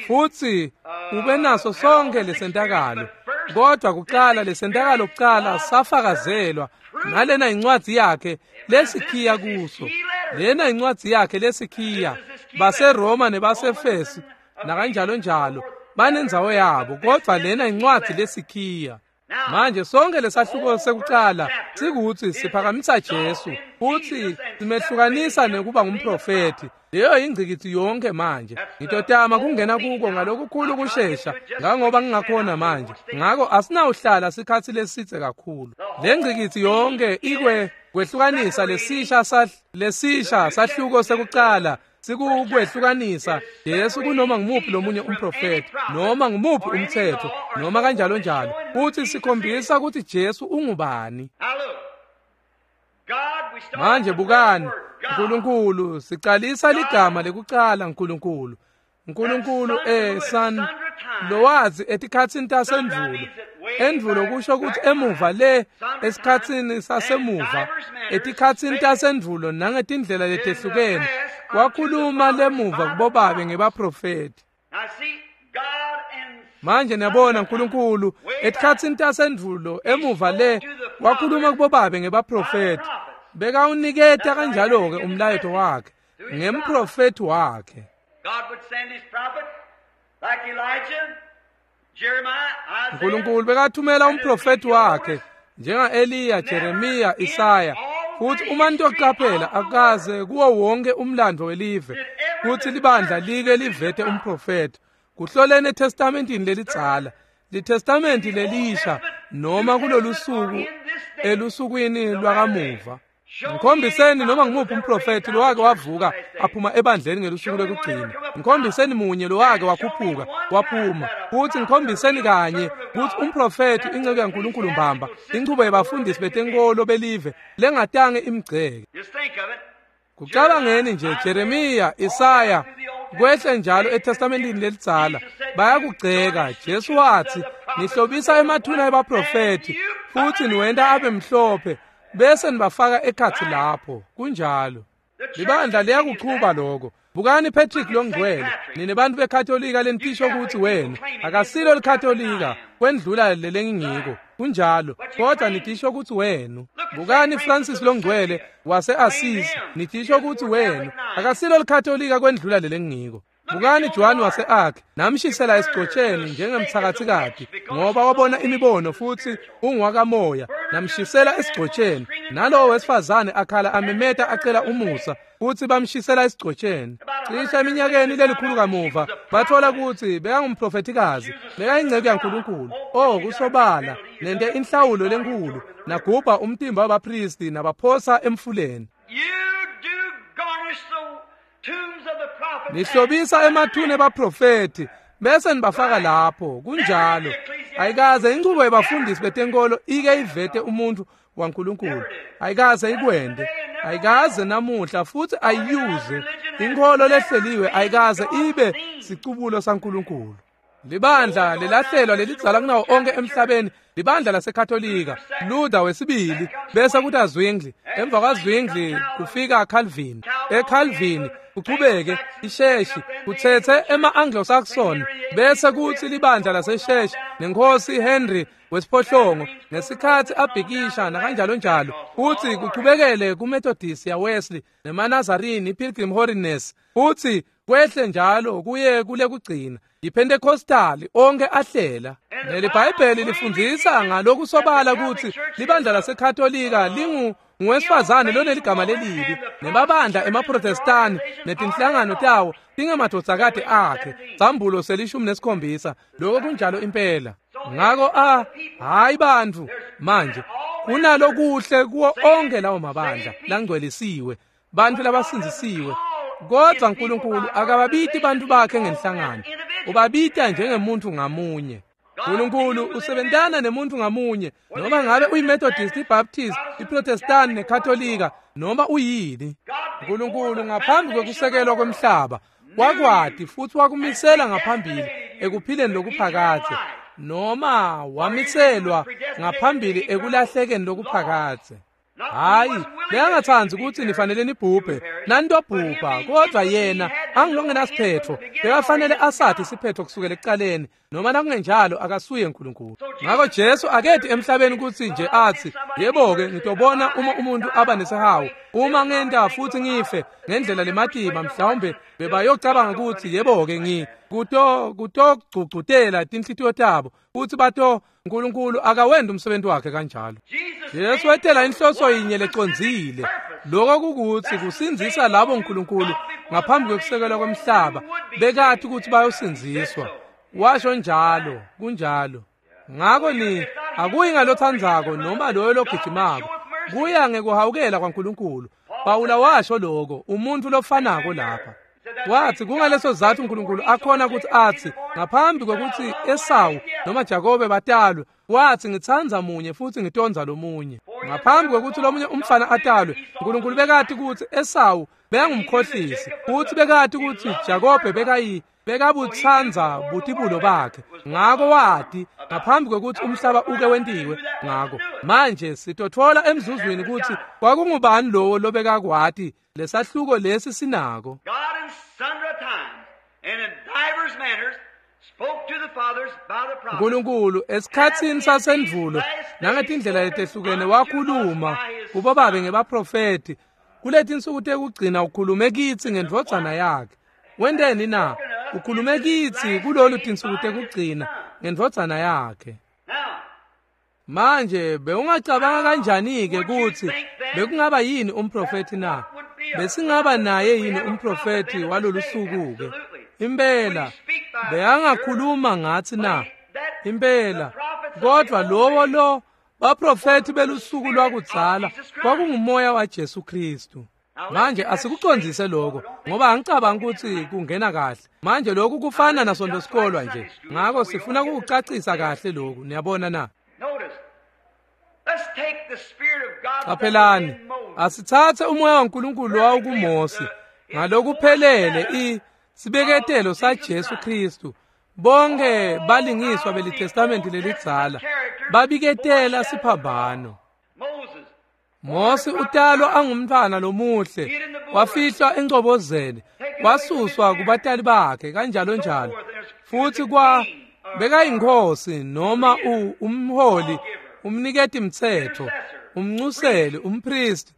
futhi ube naso sonke lesentakalo. Kodwa kuqala lesentakalo kuqala safakazelwa nalena incwadi yakhe lesikhiya kuso. Lena incwadi yakhe lesikhiya baseRoma nebaseFesu nakanjalo njalo banendzawo yabo, kodwa lena incwadi lesikhiya. Manje sonke lesahluko sekuqala sikuthi siphakamisa Jesu futhi simehlukanisa nekuba ngumprofeti. Leyo ingcikithi yonke manje. Ngitotama kungena kuko ngalokukhulu kushesha ngangoba ngingakhona manje. Ngako asinawuhlala sikhathi lesitse kakhulu. Le ngcikithi yonke ikwe kwehlukanisa lesisha sah lesisha sahluko sekuqala sikukwehlukanisa Jesu kunoma ngumuphi lomunye umprofeti noma ngumuphi umthetho noma kanjalo njalo, futhi sikhombisa ukuthi Jesu ungubani. Manje bukani, uNkulunkulu sicalisa ligama lekucala uNkulunkulu. uNkulunkulu eh son lowazi etikhatsini tasendvulo. Endvulo kusho ukuthi emuva le esikhatsini sasemuva, etikhatsini tasendvulo nangetindlela letehlukene wakhuluma lemuva kubobabe ngebaprofeti. Manje niyabona uNkulunkulu etikhatsini tasendvulo emuva le wakhuluma kubobabe ngebaprofeti. Bekawuniketa kanjalo ke umlayeto wakhe ngemprofeti wakhe. uNkulunkulu bekathumela umprofeti wakhe njenga-Eliya, Jeremiya, Isaya. Futhi uma nitoqaphela akaze kuwo wonke umlando welive kuthi libandla like livete umprofeti. Kuhlolene eTestamentini lelidzala, liTestamenti lelisha noma kulolu suku elusukwini lwakamuva. Ngikhombiseni noma ngumuphi umprofeti lowake wavuka aphuma ebandleni ngelusuku lokugcina. Ngikhombiseni munye lowake wakhuphuka waphuma. Futhi ngikhombiseni kanye ukuthi umprofeti inceku yaNkulunkulu mbamba, inchubo yebafundisi betenkolo belive lengatange imgceke. Kucabangeni nje Jeremiya, Isaya kwehle njalo eTestamentini lelidzala bayakugceka. Jesu wathi nihlobisa emathuna ebaprofeti futhi niwenta abe mhlophe bese nibafaka ekhathi lapho. Kunjalo. Libandla liyakuchuba lokho. Bukani Patrick longcwele, nine bantu beKatolika lenitisho ukuthi wena akasilo liKatolika kwendlula lelengingiko. Kunjalo, kodwa nitisho ukuthi wena. Bukani Francis longcwele wase-Assisi, nitisho ukuthi wena akasilo liKatolika kwendlula lelengingiko. Bukani Joan wase-Arc, namshisela esigcotsheni njengemthakathikati ngoba wabona imibono futhi ungwakamoya, namshisela esigcotsheni. Nalowo wesifazane akhala amemeta acela umusa futhi bamshisela esigcotsheni. Cishe eminyakeni lelikhulu kamuva bathola ukuthi bekangumprofetikazi, bekayingceku yaNkulunkulu. Oh, kusobala nente inhlawulo lenkulu, nagubha umtimba wabapristi nabaphosa emfuleni. Nihlobisa emathuna ebaprofeti bese nibafaka lapho. Kunjalo. Ayikaze inchubo yebafundisi betenkolo ike ivete umuntu waNkulunkulu. Ayikaze ikwende, ayikaze namuhla futhi ayiyuze. Inkolo lehleliwe ayikaze ibe sicubulo saNkulunkulu. Libandla lelahlelwa lelidzala kunawo onke emhlabeni, libandla laseKatolika, Luther wesibili, bese kuta Zwingli. Emva kwaZwingli kufika Calvin. ECalvin kuchubeke isheshi kuthethe ema-Anglo-Saxon, bese kuthi libandla lasesheshi nenkosi Henry wesiphohlongo ngesikhathi abhikisha nakanjalo njalo, futhi kuchubekele kuMethodist ya Wesley nemaNazarene, iPilgrim Holiness, futhi kwehle njalo kuye kule kugcina iPentecostal onke ahlela. NeliBhayibheli lifundzisa ngalokusobala ukuthi libandla laseKatolika lingu ngowesifazane loneligama lelibi, nemabandla emaProtestani netinhlangano tawo tingemadvodzakati akhe. Sambulo selishumi nesikhombisa. Lokho kunjalo impela. Ngako a hayi bantfu manje kunalokuhle kuwo onke lawo mabandla langcwelisiwe, bantfu labasindzisiwe, kodwa uNkulunkulu akababiti bantu bakhe ngenhlangano, ubabita njengemuntu ngamunye. uNkulunkulu usebentana nemuntu ngamunye, noma ngabe uyiMethodist, iBaptist, iProtestant neKatolika, noma uyini. uNkulunkulu ngaphambi kwekusekelwa kwemhlaba wakwati futhi wakumisela ngaphambili ekuphileni lokuphakadze, noma wamiselwa ngaphambili ekulahlekeni lokuphakadze. Hayi, bekangatsandzi ukuthi nifanele nibhubhe, nanitobhubha, kodwa yena angilongenasiphetho, bekafanele asathi isiphetho kusukela ekucaleni. noma nakungenjalo akasuye uNkulunkulu. Ngakho Jesu akethi emhlabeni ukuthi nje athi yebo-ke ngitobona uma umuntu aba nesihawu, uma ngenta futhi ngife ngendlela lematima, mhlawumbe bebayocabanga ukuthi yebo-ke ngi kuto kutogcugcutela tinhlitiyo tabo futhi bato uNkulunkulu akawenda umsebenzi wakhe kanjalo. Jesu wetela inhloso yinye lecondzile, lokho kukuthi kusindzisa labo uNkulunkulu ngaphambi kwekusekelwa kwemhlaba bekathi ukuthi bayosindziswa. Washo njalo, kunjalo. Ngakho ni akuyi ngalothandzako noma loyo logijimako, kuya ngekuhawukela kwaNkulunkulu. Pawula washo lokho, umuntu lofanako lapha. Wathi kungaleso sizathu uNkulunkulu akhona ukuthi athi ngaphambi kwekuthi Esawu noma Jakobe batalwe, wathi ngitsandza munye futhi ngitondza lomunye. Ngaphambi kwekuthi lomunye umfana atalwe, uNkulunkulu bekathi ukuthi Esawu bekangumkhohlisi, futhi bekathi ukuthi Jakobe bekayi bekabutsandza butibulo bakhe. Ngako wathi ngaphambi kwekuthi umhlaba uke wentiwe. Ngako manje sitothola emzuzwini ukuthi kwakungubani lowo lobekakwati lesahluko lesi sinako. God in sundry times and in divers manners spoke to the fathers by the prophets. uNkulunkulu esikhatsini sasendvulo nangetindlela letehlukene wakhuluma kubobabe ngebaprofeti, kuletinsuku tekugcina ukhulume kitsi ngendvodzana yakhe. Wenteni na? Ukhulume kitsi kulolu tinsuku tekugcina ngendvodzana yakhe. Now, Manje bewungacabanga kanjani-ke ukuthi bekungaba yini umprofethi na? Besingaba naye yini umprofethi walolu suku-ke? Impela beyangakhuluma ngathi na? Impela. Kodwa lowo lo baprofethi belusuku lwakudzala kwakungumoya waJesu Kristu. Manje asikucondzise lokho ngoba angicabanga ukuthi kungena kahle. Manje lokhu kufana nasonto sikolwa nje, ngakho sifuna ukucacisa kahle lokhu. Niyabona na? notice, let's take the Spirit of God that was Qaphelani, in Moses. asithathe umoya waNkulunkulu owawukuMose ngalokuphelele i sibeketelo saJesu Kristu. Bonke balingiswa beliTestamente lelidzala babiketela siphambano. Moses, Mose utalwa angumntwana lomuhle, wafihlwa engcobozeni, wasuswa kubatali bakhe kanjalo njalo. Futhi kwa bekayinkosi noma u- umholi, umniketi mthetho, umncuseli, umpristi,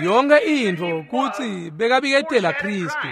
yonke intfo kutsi bekabiketela Kristu.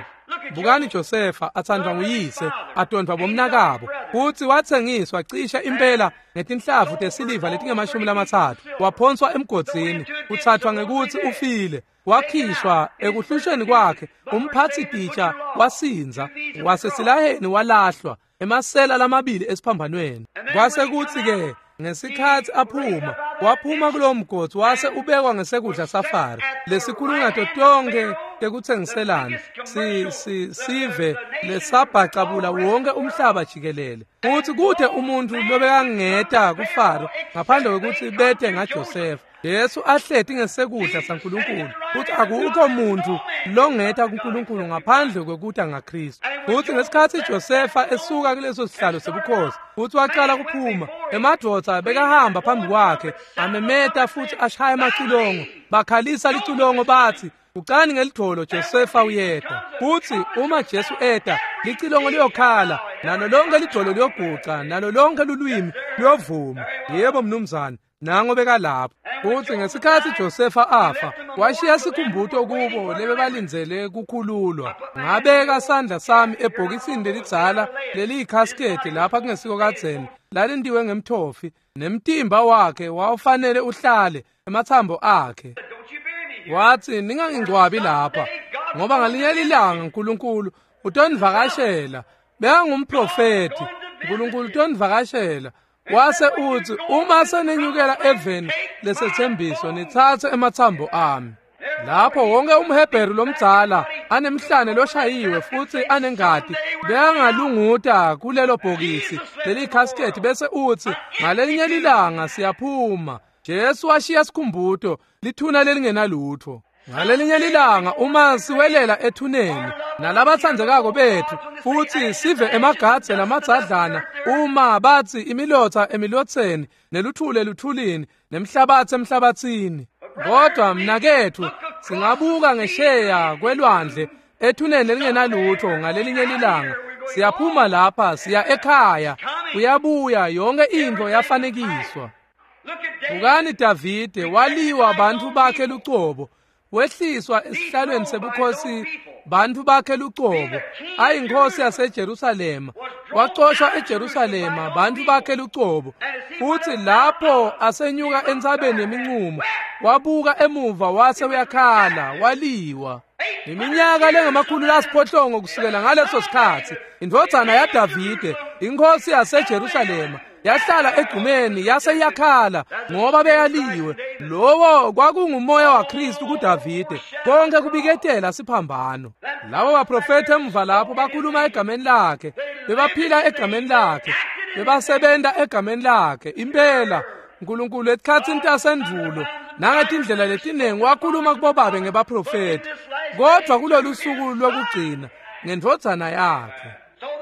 Bukani Josefa athandwa nguyise, atondvwa bomnakabo, futsi watsengiswa cishe impela ngetinhlavu tesiliva letingemashumi lamatsatfu, waphonswa emgodzini, kuthathwa ngekutsi ufile, wakhishwa ekuhlushweni kwakhe, umphatsi titsha wasindza, wasesilaheni walahlwa, emasela lamabili esiphambanweni. Kwase kutsi-ke ngesikhatsi aphuma, waphuma kulowo mgodzi wase ubekwa ngesekudla saFaro, lesikhulu nato tonkhe tekutsengiselana, si, si, sive lesabhacabula wonke umhlaba jikelele. Futsi kute umuntfu lobekangeta kuFaro ngaphandle kwekutsi bete ngaJosefa. Jesu ahleti ngesekudla saNkulunkulu, futsi akukho muntfu longeta kuNkulunkulu ngaphandle kwekuta ngaKristu. Futsi ngesikhatsi Josefa esuka kuleso sihlalo sebukhosi futsi wacala kuphuma, emadvodza bekahamba phambi kwakhe amemeta futhi ashaya emacilongo, bakhalisa licilongo bathi, "Ucani ngelidvolo Josefa uyeta." Futsi uma Jesu eta, licilongo liyokhala, nalo lonke lidvolo liyoguca, nalo lonke lulwimi luyovuma. Yebo mnumzane, nango bekalapho. Futsi ngesikhatsi Josefa afa, washiya sikhumbuto kubo lebebalindzele kukhululwa. Ngabeka sandla sami ebhokisini lelidzala leliyikhasketi lapha kungesiko kadzeni, lalintiwe ngemthofi, nemtimba wakhe wawufanele uhlale emathambo akhe. don't you bury me here. Wathi ningangingcwabi lapha, ngoba ngalinye lilanga uNkulunkulu utonivakashela. Bekangumprofethi, uNkulunkulu utonivakashela. Wase uthi uma senenyukela eveni lesethembiso nithathe emathambo ami. Lapho wonke umHebheru lomdzala anemhlane loshayiwe futhi anengati beyangalunguta kulelo bhokisi lelikhaskethi bese uthi ngalelinye lilanga siyaphuma. Jesu washiya sikhumbuto, lithuna lelingenalutho. Ngalelinye lilanga uma siwelela ethuneni nalabatsandzekako bethu futhi sive emagadze namadzadlana, uma bathi imilotha emilotheni neluthule eluthulini nemhlabathi emhlabathini. Kodwa mnakethu, singabuka ngesheya kwelwandle ethuneni lelingenalutho ngalelinye lilanga. Siyaphuma lapha siya ekhaya Uyabuya, yonke intfo yafanekiswa. Bukani Davide, waliwa bantfu bakhe lucobo, wehliswa esihlalweni sebukhosi bantfu bakhe lucobo, ayinkosi yaseJerusalema, wacoshwa eJerusalema bantfu bakhe lucobo. Futsi lapho asenyuka entsabeni yemincumo, wabuka emuva wase uyakhala, waliwa. Iminyaka lengamakhulu lasiphohlongo kusukela ngaleso sikhatsi, indvodzana yaDavide, inkosi yaseJerusalema, yahlala egcumeni yase iyakhala ngoba beyaliwe. Lowo kwakungumoya waKristu kuDavide, konke kubiketela siphambano. Labo baprofeti emva lapho bakhuluma egameni lakhe, bebaphila egameni lakhe, bebasebenta egameni lakhe. Impela Nkulunkulu etikhatsini tasendvulo nangetindlela letinengi wakhuluma kubobabe ngebaprofeti, kodvwa kulolu suku lwekugcina ngendvodzana yakhe.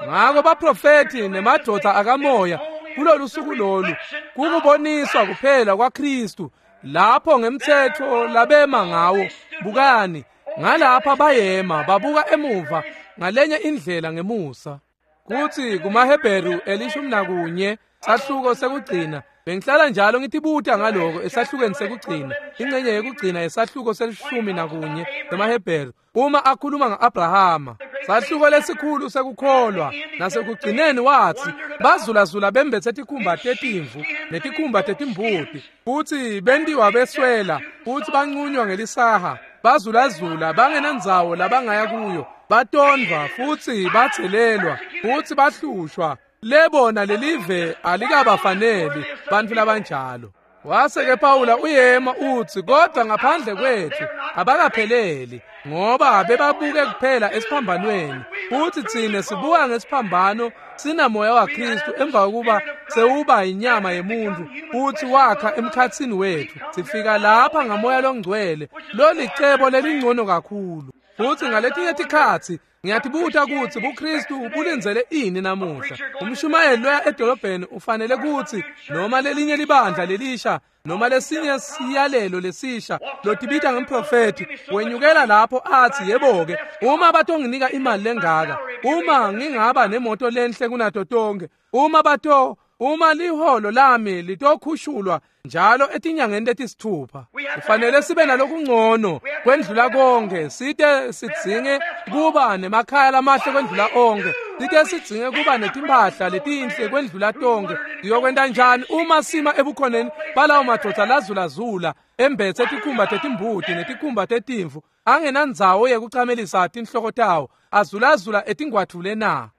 Ngako baprofeti nemadvodza akamoya kulolu suku lolu kukuboniswa kuphela kwaKristu lapho ngemtsetfo labema ngawo. Bukani ngalapha bayema babuka emuva ngalenye indlela ngemusa. Kutsi kumaHebheru elishumi nakunye sahluko sekugcina, bengihlala njalo ngitibuta ngaloko esahlukweni sekugcina, ingcenye yekugcina yesahluko selishumi nakunye semaHebheru, uma akhuluma nga-Abrahama, sahluko lesikhulu sekukholwa, nasekugcineni watsi bazulazula bembethe tikhumba tetimvu netikhumba tetimbuti, futsi bentiwa beswela, futsi banqunywa ngelisaha, bazulazula bangenandzawo labangaya kuyo, batondvwa futsi batselelwa futsi bahlushwa. Lebona lelive alikabafaneli bantfu labanjalo. Wase-ke Pawula uyema utsi, kodvwa ngaphandle kwetfu abakapheleli, ngoba bebabuke kuphela esiphambanweni, futsi tsine sibuka ngesiphambano sinamoya waKristu emva kokuba sewuba inyama yemuntfu futsi wakha emkhatsini wetfu. Sifika lapha ngamoya longcwele, lolicebo lelingcono kakhulu. Futsi ngaletinye tikhatsi ngiyatibuta kutsi buKristu bulindzele ini namuhla. Umshumayeli loya edolobheni ufanele kutsi noma lelinye libandla lelisha noma lesinye siyalelo lesisha lotibita ngemprofeti wenyukela lapho atsi, yebo-ke, uma batonginika imali lengaka, uma ngingaba nemoto lenhle kunato tonke, uma bato uma liholo lami litokhushulwa njalo etinyangeni letisithupha, kufanele sibe nalokungcono kwendlula konke, site sidzinge kuba nemakhaya lamahle kwendlula onke, site sidzinge kuba netimphahla letinhle kwendlula tonke. Siyokwenta njani uma sima ebukhoneni balawo madvodza lazulazula embethe tikhumba tetimbuti netikhumba tetimvu, angenandzawo yekucamelisa tinhloko tawo, azulazula etingwadvule na?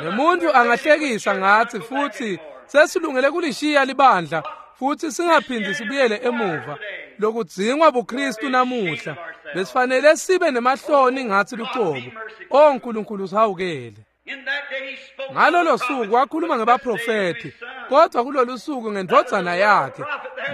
Nemuntu angahlekisa ngatsi futsi sesilungele kulishiya libandla futsi singaphindzi sibuyele emuva. Lokudzingwa buKristu namuhla, besifanele sibe nemahloni ngatsi lucobo. O Nkulunkulu sihawukele. Ngalolo suku wakhuluma ngebaprofeti, kodvwa kulolu suku ngendvodzana yakhe.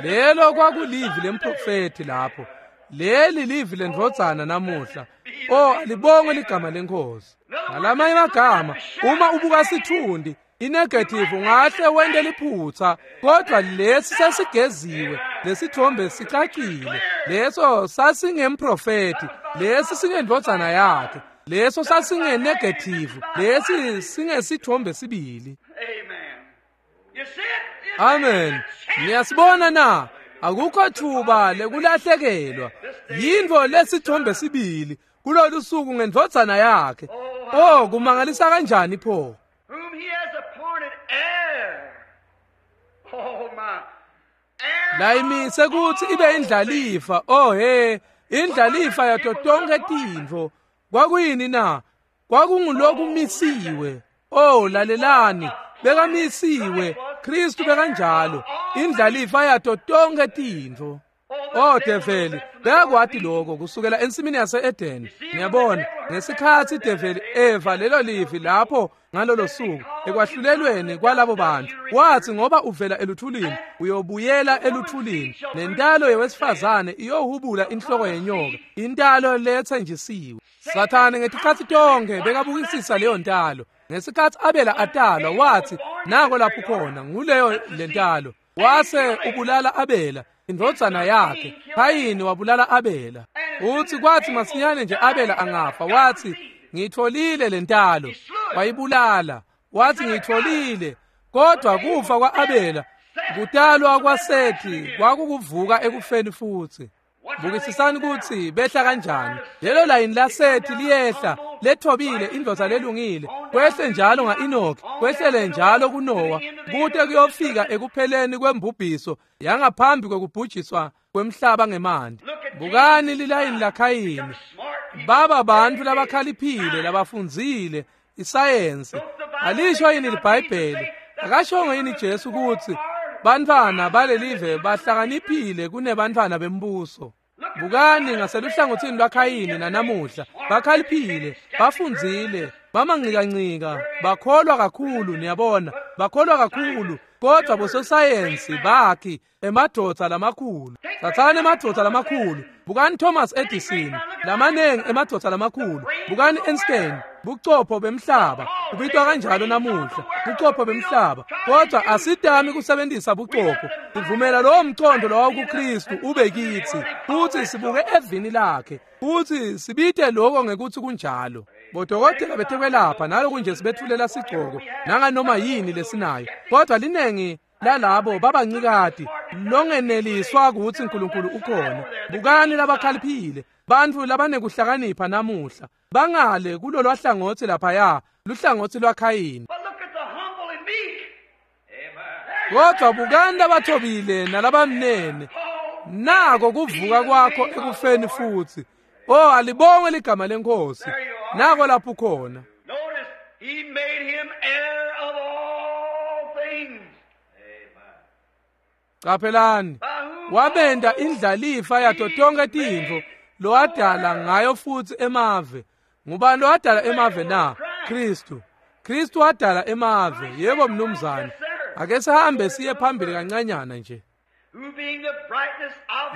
Lelo kwakulivi lemprofeti lapho. Leli livi lendvodzana namuhla. O alibongwe ligama leNkhosi. Ngalamanye amagama, uma ubuka sithundi inegative ungahle wente liphutsa, kodwa lesi sesigeziwe, lesithombe sicacile. Leso sasingemprofeti, lesi singendvodzana yakhe. Leso sasingenegative, lesi singesithombe sibili. Amen. Niyasibona na? Akukho thuba lekulahlekelwa. Yintfo lesithombe sibili kulolu suku ngendvodzana yakhe. Oh, kumangalisa kanjani pho? Layimise kutsi ibe indlalifa. Oh he, indlalifa yato tonke tintfo. Kwakuyini na? Kwakungulokumisiwe. Oh, lalelani, bekamisiwe. Kristu bekanjalo, indlalifa yato tonke tintfo. Oh develi, bekakwati lokho kusukela ensimini yase-Edeni. Ngiyabona ngesikhatsi develi eva lelo livi lapho ngalolo suku ekwahlulelweni kwalabo bantu, wathi ngoba uvela eluthulini uyobuyela eluthulini, nentalo yewesifazane iyohubula inhloko yenyoka, intalo letsenjisiwe. Sathane ngetikhatsi tonke bekabukisisa leyo ntalo. Ngesikhatsi Abela atalwa wathi nako lapho khona nguleyo lentalo. Wase ubulala Abela indvodzana yakhe. Khayini wabulala Abela. Uthi kwathi masinyane nje Abela angafa wathi ngitholile lentalo, wayibulala. Wathi ngitholile, kodwa kufa kwa-Abela, kutalwa kwaSethi kwakukuvuka ekufeni futhi. Bukisisani kutsi behla kanjani. Lelo layini laSethi liyehla, lethobile indvodza lelungile, kwehle njalo nga-Enoki, kwehlele njalo kuNowa, kute kuyofika ekupheleni kwembubhiso yangaphambi kwekubhujiswa kwemhlaba ngemanti. Bukani lilayini laKhayini. Baba bantfu labakhaliphile, labafundzile isayensi. Alisho yini liBhayibheli? Akashongo yini Jesu kutsi bantfwana balelive bahlakaniphile kunebantfwana bembuso? Bukani ngaseluhlangotsini lwaKhayini nanamuhla, bakhaliphile, bafundzile, bamanqikanqika, bakholwa kakhulu, niyabona, bakholwa kakhulu, kodwa bososayensi bakhi emadvodza lamakhulu. Tsatsani emadvodza lamakhulu. Bukani Thomas Edison, lamanengi emadvodza lamakhulu. Bukani Einstein, bucopho bemhlaba, kubitwa kanjalo namuhla, bucopho bemhlaba. Kodwa asitami kusebenzisa bucopho. Sivumela lowo mcondo lowa kuKristu ube kitsi, futhi sibuke evini lakhe, futhi sibite lokho ngekuthi kunjalo. Bodokotela betekwelapha naloku nje sibetfulela sigcoko nanganoma yini lesinayo, kodwa linengi lalabo babancikati longeneliswa kutsi uNkulunkulu ukhona. Bukani labakhaliphile, bantfu labanekuhlakanipha namuhla, bangale kulolwa hlangothi laphaya, luhlangotsi lwaKhayini. Kodwa bukani labathobile nalabamnene, nako kuvuka kwakho ekufeni futhi. Oh, alibongwe ligama leNkosi. Nako lapho khona. Notice, he made him heir of all things. Qaphelani, wabenda indlalifa yato tonke tintfo lowadala ngayo futhi emave. Ngubani lowadala emave na? Kristu. Kristu wadala emave. Yebo mnumzane. Ake sihambe siye phambili kancanyana nje.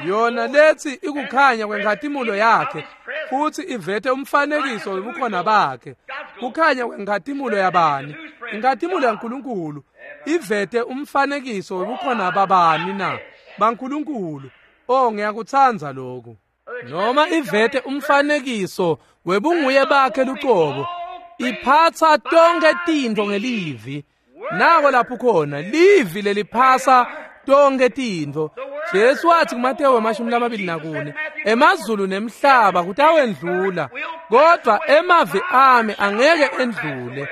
Yona lethi ikukhanya kwenkhatimulo yakhe futhi ivete umfanekiso webukhona bakhe. Kukhanya kwenkhatimulo yabani? Inkhatimulo yaNkulunkulu ivete umfanekiso webukhona babani na? BaNkulunkulu. Oh, ngiyakutsandza lokhu. Noma ivete umfanekiso webunguye bakhe lucobo, iphatsa tonke tintfo ngelivi. Nako lapho khona livi leliphasa tonke tintfo. Jesu wathi kuMateyu emashumi lamabili nakune, emazulu nemhlaba kutawendlula, kodwa emavi ami angeke endlule.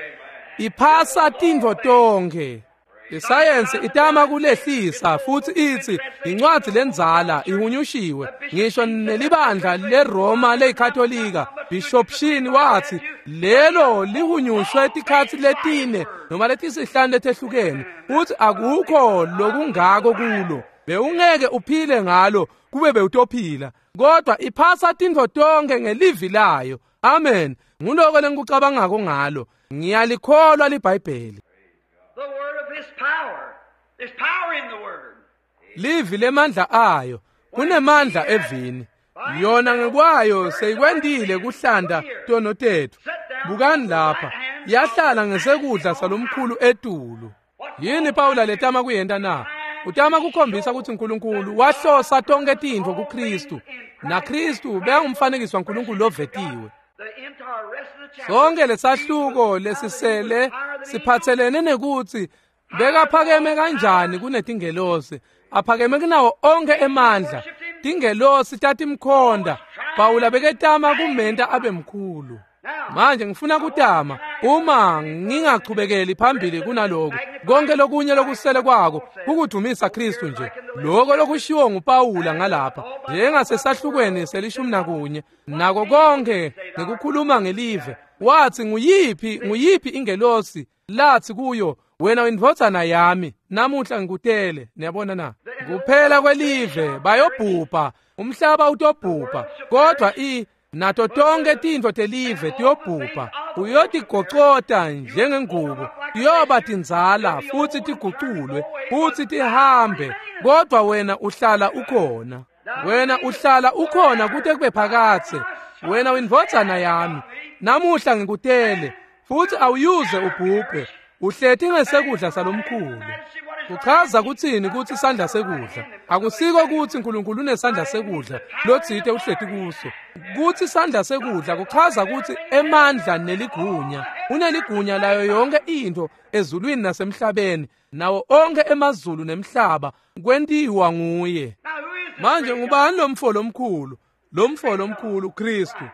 Iphasa tintfo tonkhe. Isayensi itama kulehlisa futhi ithi incwadi lenzala ihunyushiwe. Ngisho nelibandla leRoma leyiKatolika, Bishop Sheen wathi lelo lihunyushwe tikhatsi letine noma letisihlanu letehlukene, futhi akukho lokungako kulo. Bewungeke uphile ngalo kube bewutophila, kodwa iphasa tintfo tonke ngelivi layo. Amen. Nguloko lengikucabangako ngalo. Ngiyalikholwa liBhayibheli. The word of his power. There's power in the word. Livi lemandla ayo. Kunemandla evini. Yona ngekwayo seyikwendile kuhlanda tono tetfu. Bukani lapha, yahlala ngesekudla salomkhulu etulu. Yini Pawula letama kuyenta na? Utama kukhombisa ukuthi uNkulunkulu wahlosa tonke tintfo kuKristu, naKristu bekangumfanekiso waNkulunkulu lovetiwe. The entire rest of the chapter. Sonke lesahluko lesisele siphathelene nekutsi bekaphakeme kanjani kunetingelosi, aphakeme kunawo onke emandla. Tingelosi tatimkhonda. Pawula beketama kumenta abe mkhulu. Manje ngifuna kutama, uma ngingachubekeli phambili kunaloko, konke lokunye lokusele kwako kukudumisa Kristu nje. Lokho lokushiwo nguPawula ngalapha, njengasesahlukweni selishumi nakunye, nako konke ngekukhuluma ngelive. Wathi nguyiphi nguyiphi ingelosi lathi kuyo, wena indvodzana yami, namuhla ngikutele. Niyabona na? Kuphela kwelive bayobhubha, umhlaba utobhubha, kodwa i nato tonke tintfo telive tiyobhubha. Uyotigocota njengengubo, tiyoba tindzala futhi tiguculwe futhi tihambe, kodwa wena uhlala ukhona. Wena uhlala ukhona kute kube phakadze. Wena uyindvodzana yami, namuhla ngikutele, futhi awuyuze ubhubhe. Uhleti ngesekudla salomkhulu. Kuchaza kutsini kutsi isandla sekudla? Akusiko kutsi uNkulunkulu unesandla sekudla lotsite uhleti kuso. Kutsi isandla sekudla kuchaza kutsi emandla neligunya. Uneligunya layo yonke intfo ezulwini nasemhlabeni, nawo onke emazulu nemhlaba kwentiwa nguye. Manje ngubani lomfo lomkhulu? Lomfo lomkhulu Kristu.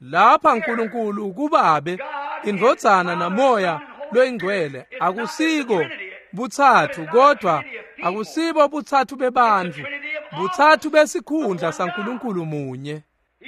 Lapha uNkulunkulu kubabe, indvodzana namoya loyingcwele. Akusiko butsatfu, kodwa akusibo butsatfu bebantfu, butsatfu besikhundla saNkulunkulu munye.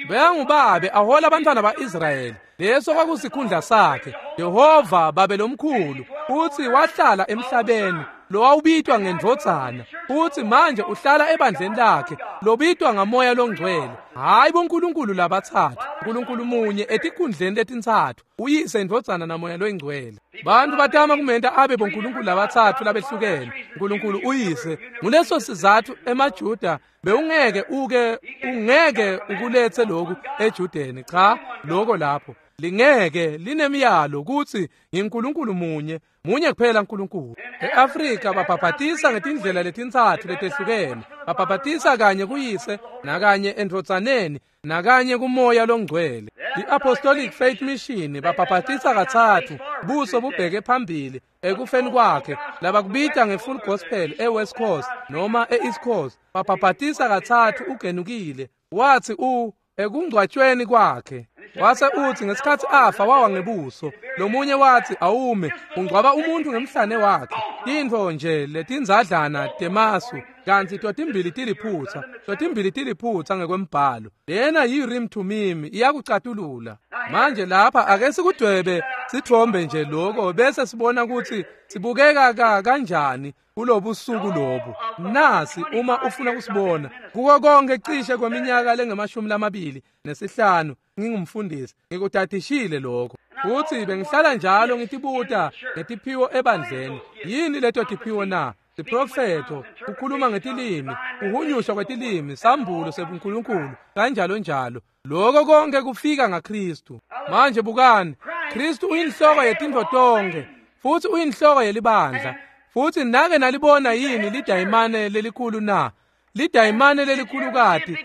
Beyangubabe ahola abantwana ba-Israyeli, leso kwakusikhundla sakhe. Jehova babe lomkhulu, futsi wahlala emhlabeni lowawubitwa ngendvodzana, futsi manje uhlala ebandleni lakhe lobitwa ngamoya longcwele. Hayi boNkulunkulu labatsatfu, uNkulunkulu munye etikhundleni letintsatfu, uyise, indvodzana namoya loyingcwele. Bantu batama kumenta abe boNkulunkulu labatsatfu labehlukene. uNkulunkulu uyise. Nguleso sizatfu emaJuda bewungeke uke ungeke ukuletse lokhu eJudeni. Cha, lokho lapho lingeke linemiyalo kutsi ngiNkulunkulu munye, munye kuphela uNkulunkulu. E-Afrika babhabhatisa ngetindlela letintsatfu letehlukene. Babhabhatisa kanye kuyise, nakanye endvodzaneni, nakanye kumoya longcwele. I-Apostolic Faith Mission babhabhatisa katsatfu, buso bubheke phambili ekufeni kwakhe, labakubita nge-Full Gospel e-West Coast noma e-East Coast. Babhabhatisa katsatfu ugenukile, wathi u ekungcwatshweni kwakhe. Wase uthi ngesikhatsi afa wawa ngebuso. Lomunye wathi awume, ungcwaba umuntu ngemhlane wakhe. Tintfo nje letindzadlana temasu, kantsi totimbili tiliphutsa, totimbili tiliphutsa ngekwembhalo. Lena yi-Urim Thummim iyakucatulula. Manje lapha ake sikudwebe sithombe nje lokho bese sibona kutsi sibukeka ka kanjani kulobusuku lobu. Nasi uma ufuna kusibona kuko konke cishe kweminyaka lengemashumi lamabili nesihlanu ngingumfundisi, ngikutadishile lokho. Futhi bengihlala njalo ngitibuta ngetiphiwo ebandleni. Yini leto tiphiwo na? Siprofetho, kukhuluma ngetilimi, uhunyushwa kwetilimi, sambulo sebuNkulunkulu, kanjalo njalo. Lokho konke kufika ngaKristu. Manje bukani, Kristu uyinhloko yetintfo tonke, futhi uyinhloko yelibandla. Futhi nake nalibona yini lidayimane lelikhulu na? Lidayimane lelikhulukati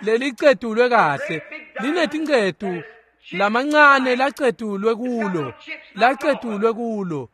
lelicetulwe kahle, linetincetu lamancane lacetulwe kulo, lacetulwe kulo.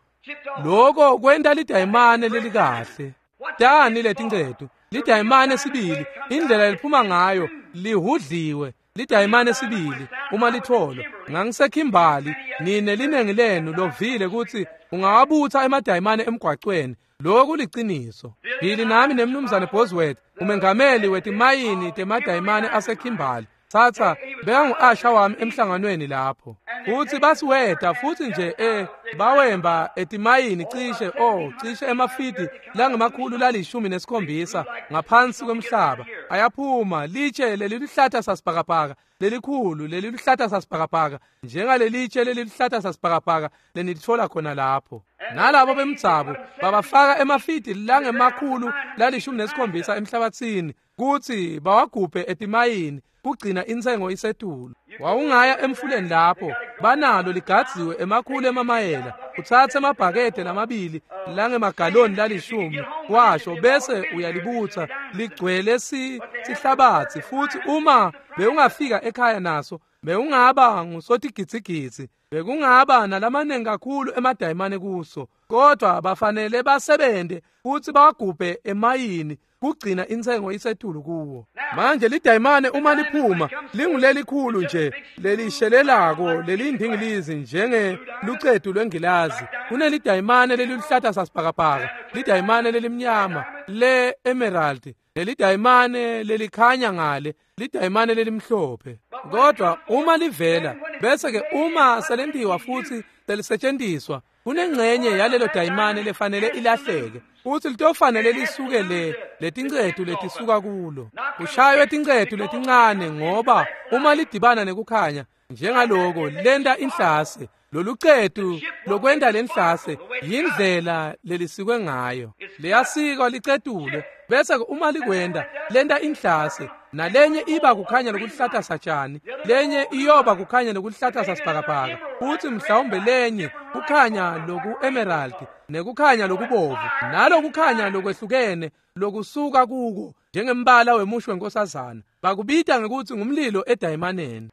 Lokho kwenta lidayimane lelikahle. Tani letincetu, lidayimane sibili, indlela liphuma ngayo lihudliwe. Lidayimane sibili uma litholwa. Ngangisekhimbali, nine linengi lenu lovile kutsi ungawabutha emadayimane emgwacweni. Lokhu kuliciniso. Billy nami nemnumzane Bosworth, umengameli wetimayini temadayimane asekhimbali, tsatsa bekangu-asha wami emhlanganweni lapho. Futhi basiweta futhi nje eh bawemba etimayini cishe oh cishe emafidi langemakhulu lalishumi nesikhombisa ngaphansi kwemhlaba. Ayaphuma litshe leliluhlata sasibhakabhaka lelikhulu leliluhlata sasibhakabhaka, njengalelitshe leliluhlata sasibhakabhaka lenilitfola khona lapho. Nalabo bemdzabu babafaka emafidi langemakhulu lalishumi nesikhombisa emhlabathini kutsi bawagubhe etimayini kugcina intsengo isetulu. Wawungaya emfuleni lapho banalo ligadziwe emakhulu emamayela, utsatse emabhakede lamabili langemagaloni lalishumi washo bese uyalibutsa ligcwele sihlabatsi. Futhi uma bewungafika ekhaya naso bewungaba ngusotigidzigidzi, bekungaba nalamanengi kakhulu emadayimane kuso. Kodwa bafanele basebente futhi bawagubhe emayini kugcina intsengo isetulu kuwo. Manje lidayimane uma liphuma lingulelikhulu nje lelishelelako lelindingilizi njenge lucetu lwengilazi. Kunelidayimane leliluhlata sasibhakabhaka, lidayimane lelimnyama le emerald, lelidayimane lelikhanya ngale, lidayimane lelimhlophe. Kodwa uma livela bese ke uma selentiwa futhi selisetshenziswa, kunengxenye yalelo dayimane lefanele ilahleke, futhi litofanele lisuke le letincetu letisuka kulo. Kushaywe tincetu letincane ngoba uma lidibana nekukhanya njengaloko lenta inhlase. Lolucetu lokwenta lenhlase yindlela lelisikwe ngayo. Liyasikwa licetulwe bese uma likwenda lenta inhlase. Nalenye iba kukhanya lokuhlata satshani, lenye iyoba kukhanya lokuhlata sasibhakabhaka, futhi mhlawumbe lenye kukhanya loku emerald nekukhanya lokubovu, nalokukhanya lokwehlukene lokusuka kuko njengembala wemusho wenkosazana. Bakubita ngekuthi ngumlilo edayimaneni.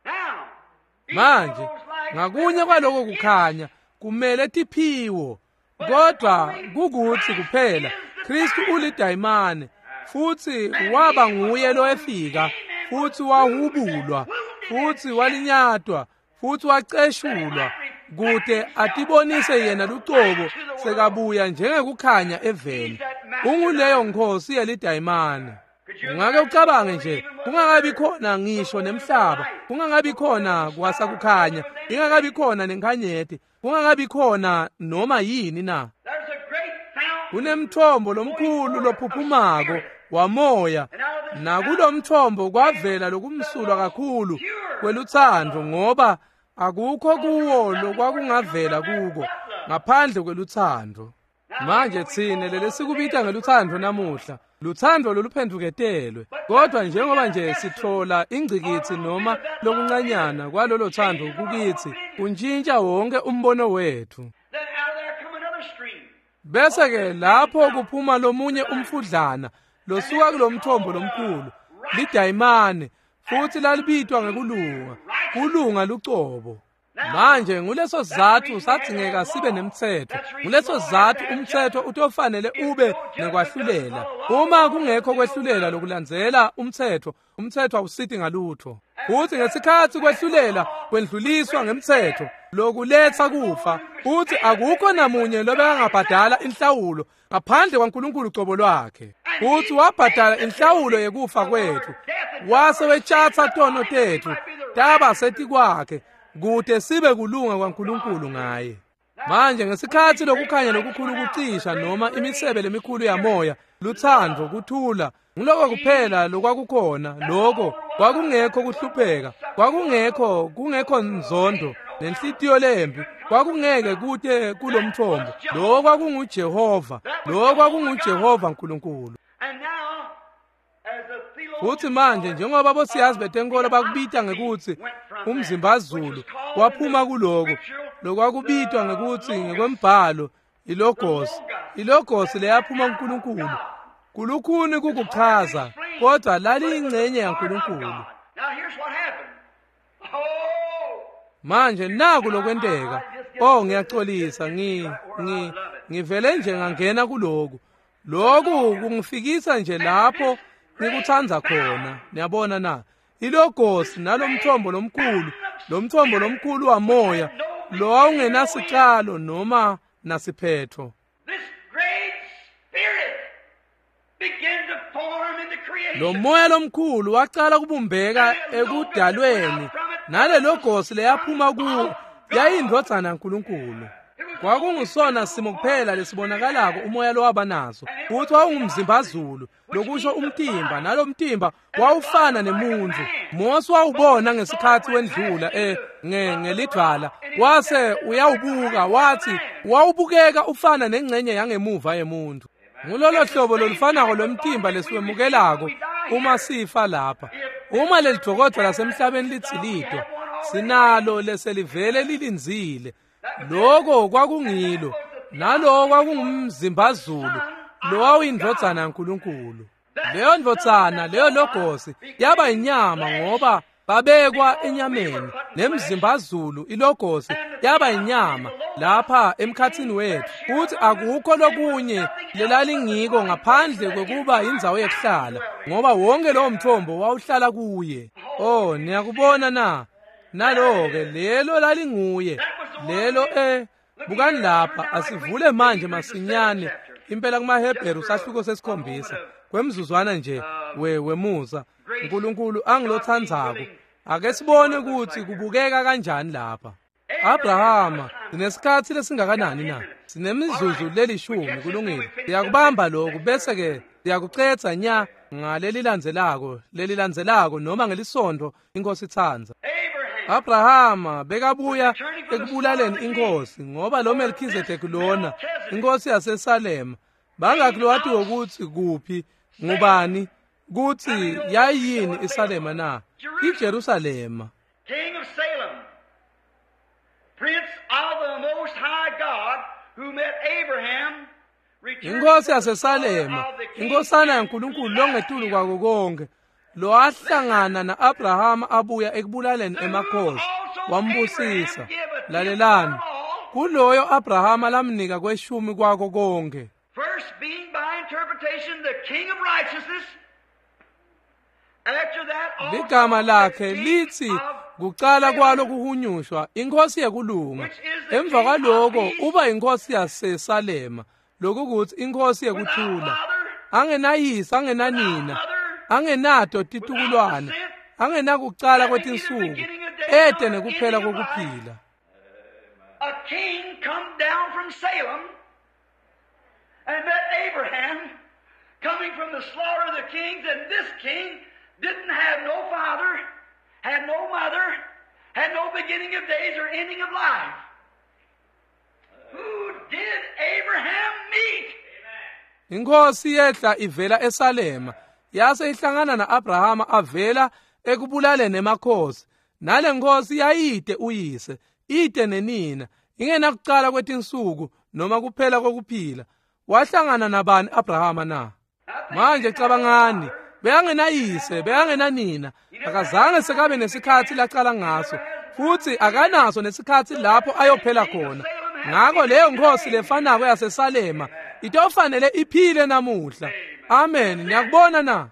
Manje ngakunye kwaloko kukhanya kumele tiphiwo, kodwa kukuthi kuphela Kristu ulidayimane, futhi waba nguye lo efika, futhi wahubulwa, futhi walinyatwa, futhi waceshulwa kude atibonise yena lucobo sekabuya njengekukhanya eveni. Unguleyo nkosi yelidayimane. Ungake ucabange nje, kungakabi khona ngisho nemhlaba, kungakabi khona kwasakukhanya, ingakabi khona nenkhanyeti, kungakabi khona noma yini na. Kunemthombo lomkhulu lophuphumako wamoya, nakulomthombo kwavela lokumsulwa kakhulu kweluthando, ngoba akukho kuwo lokwakungavela kuko ngaphandle kweluthando. Manje thine lelesikubita ngeluthando namuhla, luthando loluphenduketelwe, kodwa njengoba nje sithola ingcikithi noma lokuncanyana kwalolo thando kukithi, kuntshintsha wonke umbono wethu. Bese ke lapho kuphuma lomunye umfudlana losuka kulomthombo lomkhulu, lidayimane, futhi lalibitwa ngekulunga, kulunga lucobo. Manje nguleso sizathu sadzingeka sibe nemtsetfo. Nguleso sizathu umtsetfo utofanele ube nekwahlulela. Uma kungekho kwehlulela lokulandzela umtsetfo, umtsetfo awusiti ngalutho. Futhi ngesikhatsi kwehlulela kwendluliswa ngemtsetfo lokuletsa kufa, futhi akukho namunye lobekangabhadala inhlawulo ngaphandle kwaNkulunkulu cobo lwakhe. Futhi wabhadala inhlawulo yekufa kwethu, wase wetshatsa tono tethu taba setikwakhe, kude sibe kulunga kwaNkulunkulu ngaye. Manje ngesikhatsi lokukhanya lokukhulu kucisha noma imisebe lemikhulu yamoya, luthando, kuthula, ngiloko kuphela lokwakukhona. Lokho kwakungekho kuhlupheka, kwakungekho kungekho nzondo nenhlitiyo lembi, kwakungeke kute kulomthombo. Lokho kwakunguJehova, lokho kwakunguJehova uNkulunkulu. Futhi manje njengoba bosiyazi betenkolo bakubita ngekuthi umzimbazulu, waphuma kuloko lokwakubitwa ngekuthi ngekwembhalo ilogos, ilogos leyaphuma kuNkulunkulu. Kulukhuni kukuchaza, kodwa laliyingcenye yaNkulunkulu. Manje naku lokwenteka. Oh, ngiyaxolisa, ngi ngi ngivele nje ngangena kuloku. Lokhu kungifikisa nje lapho ngikuthanda khona. Niyabona na? Ilogos nalomthombo lomkhulu, lomthombo lomkhulu wamoya lo wawungenasicalo noma nasiphetho. Lo moya lomkhulu wacala kubumbeka ekudalweni, nale logos leyaphuma kuwo yayindvodzana yaNkulunkulu. Kwakungusona simo kuphela lesibonakalako umoya lowaba naso, futhi wawungumzimbazulu, lokusho umtimba, nalomtimba wawufana nemuntu. Mose wawubona ngesikhatsi wendlula eh nge ngelidvwala, wase uyawubuka, wathi wawubukeka ufana nengcenye yangemuva yemuntu. Ngulolo hlobo lolufanako lomtimba lesiwemukelako uma sifa lapha. Uma lelidokodwa lasemhlabeni litsilidwa, sinalo leselivele lilindzile. Lokho kwakungilo, naloko kwakungumzimbazulu lo wawuyindvodzana yaNkulunkulu. Leyo ndvodzana, leyo logosi yaba inyama ngoba babekwa enyameni, nemzimbazulu ilogosi yaba inyama lapha emkhathini wethu. Futhi akukho lokunye lelalingiko ngaphandle kwekuba indzawo yekuhlala, ngoba wonke lowo mthombo wawuhlala kuye. Oh, niyakubona na? Nalo-ke lelo lalinguye lelo. Eh bukani lapha, asivule manje masinyane impela kumaHebheru sahluko sesikhombisa kwemzuzwana nje we wemusa uNkulunkulu angilothandzako. Ake sibone ukuthi kubukeka kanjani lapha. Abrahama, sinesikhatsi lesingakanani na? Sinemizuzu lelishumi. Kulungile, siyakubamba lokhu bese ke siyakucetha nya ngalelilandzelako lelilandzelako noma ngelisonto inkosi itsandza. Abrahama bekabuya ekubulaleni inkosi, ngoba lo Melchizedek lona inkosi yaseSalema bangakhi lowatiwo ukuthi kuphi ngubani Kutsi yayini iSalema na? IJerusalema. King of Salem, Prince of the Most High God, who met Abraham, Inkosi yaseSalema, inkosana yaNkulunkulu longetulu kwako konke, lowahlangana na-Abrahama abuya ekubulaleni emakhosi, wambusisa. Lalelani, kuloyo Abrahama lamnika kweshumi kwako konke. First being by interpretation the King of righteousness. After that also Ligama lakhe the King lithi of kucala kwalo kuhunyushwa inkosi yekulunga. Emva kwaloko uba inkosi yaseSalema, lokukuthi inkosi yekuthula. Angenayise, angenanina, angenato titukulwane, angenakucala kwetinsuku, ete nekuphela kokuphila. A king come down from Salem and met Abraham coming from the slaughter of the kings, and this king didn't have no father, had no mother, had no beginning of days or ending of life. Who did Abraham meet? Inkosi yehla ivela eSalema, yase ihlangana na-Abrahama avela ekubulaleni emakhosi. Nale nkosi yayide uyise, ide nenina, ingenakucala kwetinsuku noma kuphela kokuphila. Wahlangana nabani Abrahama na? Manje cabangani, bekangenayise, bekangenanina, akazange sekabe nesikhatsi lacala ngaso, futsi akanaso nesikhatsi lapho ayophela khona. Ngako leyo nkosi lefanako yaseSalema itofanele iphile namuhla. Amen. Niyakubona na?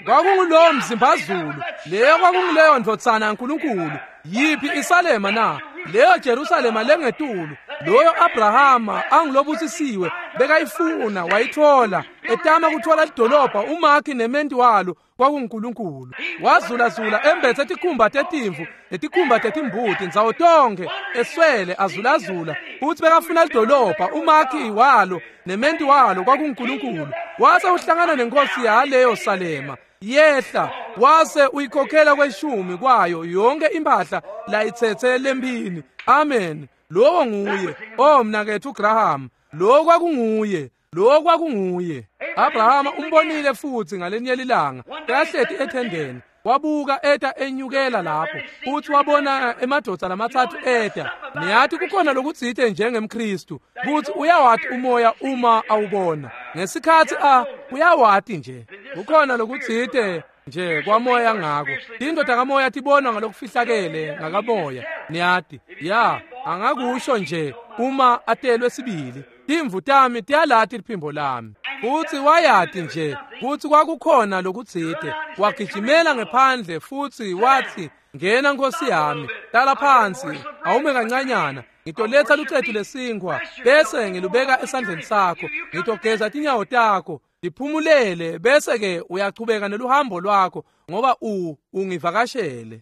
Kwakungulowo mzimbazulu, leyo kwakunguleyo ndvodzana yaNkulunkulu. Yiphi iSalema na? Leyo Jerusalema lengetulu, loyo Abrahama angilobusisiwe bekayifuna wayithola, etama kuthola lidolobha umakhi nementi walo kwakunguNkulunkulu. Wazulazula embethe tikhumba tetimvu netikhumba tetimbuti ndzawo tonkhe, eswele azulazula, futsi bekafuna lidolobha umakhi walo nementi walo kwakunguNkulunkulu. Wase uhlangana nenkosi yaleyo Salema, yehla wase uyikhokhela kweshumi kwayo yonke impahla layitsetse lempini. Amen. Lowo nguye. Oh mnaketfu Graham, lo kwakunguye, lo kwakunguye. Abrahama umbonile futsi ngalenye lilanga bekahleti ethendeni, wabuka eta enyukela lapho, futsi wabona emadvodza lamatsatfu eta. Niyati kukhona lokutsite njengemKhristu kutsi uyawati umoya uma awubona ngesikhatsi a uyawati nje. Kukhona lokutsite nje kwamoya ngako. Tintfo takamoya tibonwa ngalokufihlakele ngakamoya. Niyati ya angakusho nje uma atelwe sibili. Timvu tami tiyalati liphimbo lami. Futsi wayati nje kutsi kwakukhona lokutsite. Wagijimela ngephandle futsi watsi, ngena nkosi yami, hlala phansi, awume kancanyana, ngitoletsa lucetu lesinkhwa bese ngilubeka esandleni sakho, ngitogeza tinyawo takho, ndiphumulele, bese ke uyachubeka neluhambo lwakho ngoba u ungivakashele.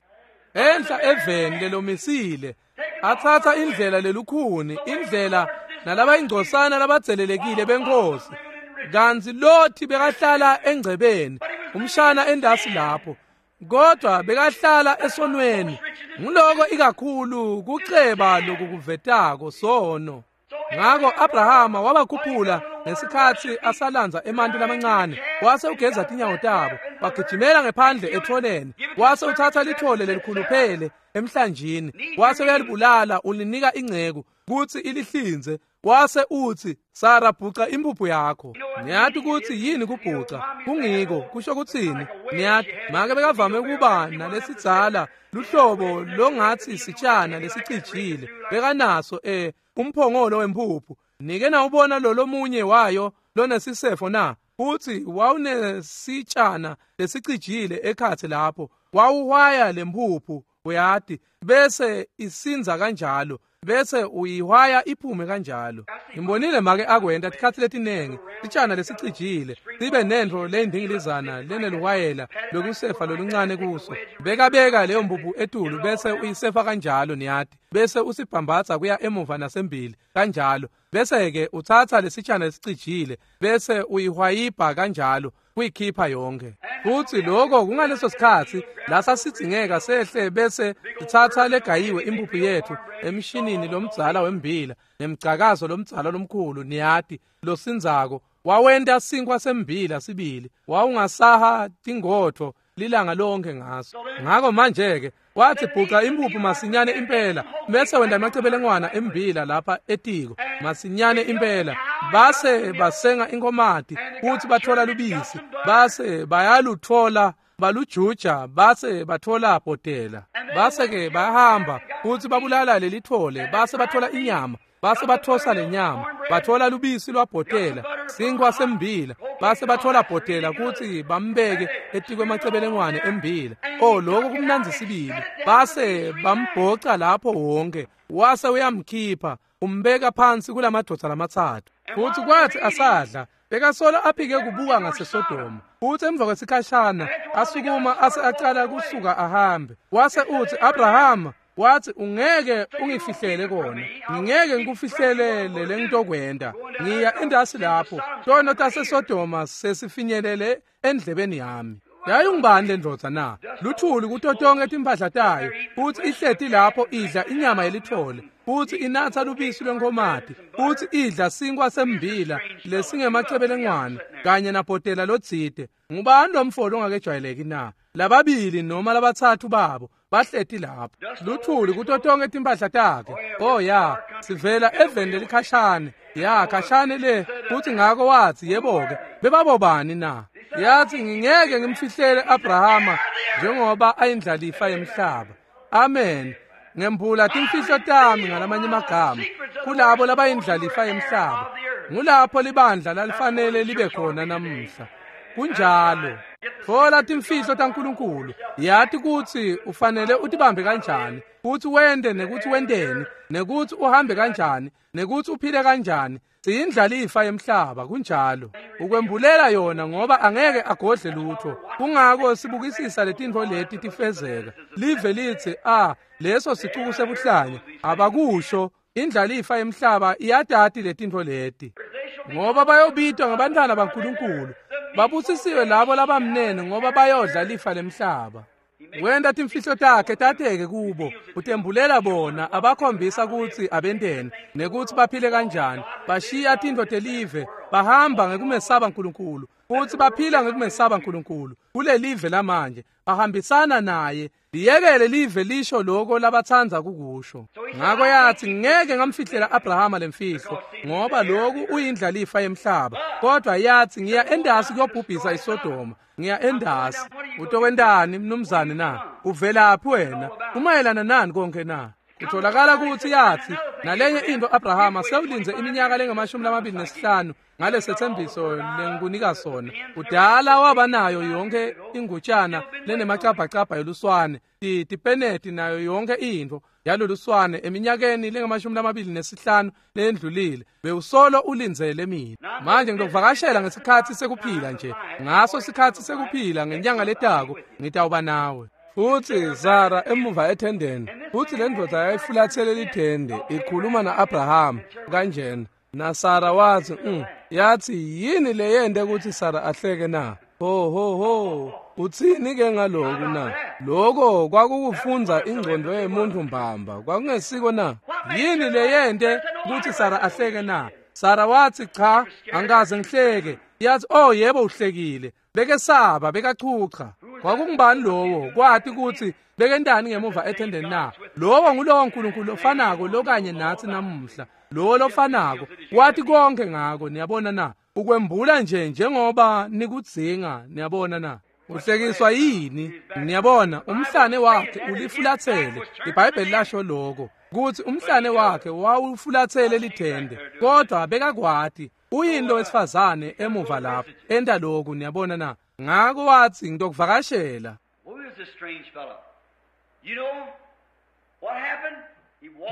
Enhla eveni lelomisile, atsatsa indlela lelukhuni, indlela nalabayingcosana labadzelelekile benkosi. Kantsi Lothi bekahlala engcebeni, umshana endasi lapho, kodwa bekahlala esonweni. Nguloko ikakhulu kuceba lokukuvetako sono. Ngako Abrahama wabakhuphula ngesikhatsi asalandza emanti lamancane, wase ugeza tinyawo tabo, wagijimela ngephandle etholeni, wase utsatsa lithole lelikhuluphele emhlanjini, wase uyalibulala ulinika inceku kutsi ilihlinze, wase utsi, Sara, bhuca impuphu yakho. Niyati kutsi yini kubhuca? Kungiko kusho kutsini? Niyati make bekavame kuba nalesidzala luhlobo longatsi sitshana lesicijile, bekanaso eh umphongolo wempuphu. Nike nawubona lo lomunye wayo lonesisefo na? Futsi wawunesitshana lesicijile ekhatsi lapho, wawuhwaya lempuphu, uyati, bese isinza kanjalo, bese uyihwaya iphume kanjalo. Ngimbonile make akwenta tikhatsi letinengi, sitshana lesicijile sibe nentfo leyindingilizana leneluhwayela lokusefa loluncane kuso. Bekabeka leyo mpuphu etulu bese uyisefa kanjalo, niyati, bese usibhambatsa kuya emuva nasembili kanjalo, bese ke utsatsa lesitshana lesicijile bese uyihwayibha kanjalo kuyikhipha yonke. Futsi lokho kungaleso sikhatsi lasasidzingeka sehle bese sitsatsa legayiwe impuphu yethu emshinini lomdzala wembila nemgcakazo lomdzala lomkhulu, niyati, losindzako, Wawenta sinkwa sembila sibili, wawungasaha tingotho lilanga lonke ngaso. Ngako manje-ke wathi bhuca impuphu masinyane impela, bese wenda amacebelengwana embila lapha etiko masinyane impela, base basenga inkomati futhi bathola lubisi, base bayaluthola balujuja, base bathola bhotela, base-ke bayahamba futhi babulala lelithole, base bathola inyama, base bathosa lenyama, bathola lubisi lwabhotela, sinkwa sembila, base bathola bhotela kuthi bambeke etikwe emacebelengwane embila. Oh, lokho kumnandzi sibili. Base bambhoca lapho wonke, wase uyamkhipha, umbeka phansi kulamadoda lamatsatfu. Futhi kwathi asadla, bekasolo aphike kubuka ngaseSodoma. Futhi emva kwesikhashana asukuma ase acala kusuka ahambe. Wase uthi Abrahama, wathi ungeke ungifihlele kona, ngingeke ngikufihlelele lengitokwenda, ngiya endasi lapho tono taseSodoma sesifinyelele endlebeni yami. Yayingubani le ndvodza na? Luthuli kuto tonke timphahla tayo, futhi ihleti lapho idla inyama yelithole, futhi inatsa lubisi lwenkomati, futhi idla sinkwa sembila lesingemacebelengwane kanye nabhotela lotsite. Ngubani lo mfo longakejwayeleki na? Lababili noma labatsatfu babo bahleti lapho, luthuli kuto tonke timphahla takhe. Oh ya, sivela eveni lelikhashane, ya khashane le. Futhi ngako wathi yebo-ke, bebabobani na? Yathi ngingeke ngimfihlele Abrahama njengoba ayindlalifa yemhlaba. Amen. Ngembula timfihlo tami ngalamanye amagama kulabo labayindlalifa yemhlaba. Ngulapho libandla lalifanele libe khona namuhla. Kunjalo. Thola timfihlo taNkulunkulu, yati kutsi ufanele utibambe kanjani, futhi wende nekuthi wenteni, nekuthi uhambe kanjani, nekuthi uphile kanjani. Siyindlalifa yemhlaba, kunjalo. Ukwembulela yona ngoba angeke agodle lutho. Kungako sibukisisa letintfo leti tifezeka. Live litsi, ah, leso sicuku sebuhlanya, abakusho. Indlalifa yemhlaba iyatati letintfo leti. Ngoba bayobitwa ngabantwana baNkulunkulu. Babusisiwe labo labamnene ngoba bayodla lifa lemhlaba. Wenda timfihlo takhe tateke kubo, utembulela bona, abakhombisa kutsi abenteni nekuthi baphile kanjani. Bashiya tintfo telive, bahamba ngekumesaba uNkulunkulu, futhi baphila ngekumesaba uNkulunkulu kulelive lamanje, bahambisana naye. Liyekele live lisho lokho labatsandza kukusho. Ngako yathi ngeke ngamfihlela Abrahama lemfihlo ngoba lokhu uyindlalifa yemhlaba. Kodwa yathi ngiya endasi kuyobhubhisa iSodoma, ngiya endasi. Utokwentani mnumzane na? Uvelaphi wena? Umayelana nani konke na? Kutholakala ukuthi yathi nalenye into Abrahama sewulinze iminyaka lengamashumi lamabili nesihlanu ngalesethembiso lengikunika sona. Udala waba nayo yonke ingutshana lenemacabhacabha yoluswane, tipeneti nayo yonke into yaloluswane eminyakeni lengamashumi lamabili nesihlanu lendlulile. Bewusolo ulindzele mina. Manje ngitokuvakashela ngesikhatsi sekuphila nje. Ngaso sikhatsi sekuphila ngenyanga letako ngitawuba nawe. Futhi Sara emuva ethendeni, futhi le ndvodza yayifulathele lithende ikhuluma na-Abraham kanjena. Na Sara wathi, mm, yathi yini leyente ukuthi Sara ahleke na? Ho ho ho, uthini ke ngaloku na? Lokho kwakukufundza ingqondo yemuntu mbamba, kwakungesiko na? Yini leyente ukuthi Sara ahleke na? Sara wathi cha, angikaze ngihleke. Yathi oh yebo uhlekile. Bekesaba, bekachucha. Kwakungubani lowo? Kwathi ukuthi bekentani ngemuva ethendeni na? Lowo ngulowo uNkulunkulu ofanako lokanye nathi namuhla. Lowo lofanako wathi konke ngako, niyabona na? Ukwembula nje njengoba nikudzinga, niyabona na? Uhlekiswa yini? Niyabona, umhlane wakhe ulifulathele. IBhayibheli lasho lokho kuthi umhlane wakhe wawufulathele lithende, kodwa bekakwati uyini lo wesifazane emuva lapho enta lokhu, niyabona na? Ngako wathi ngitokuvakashela.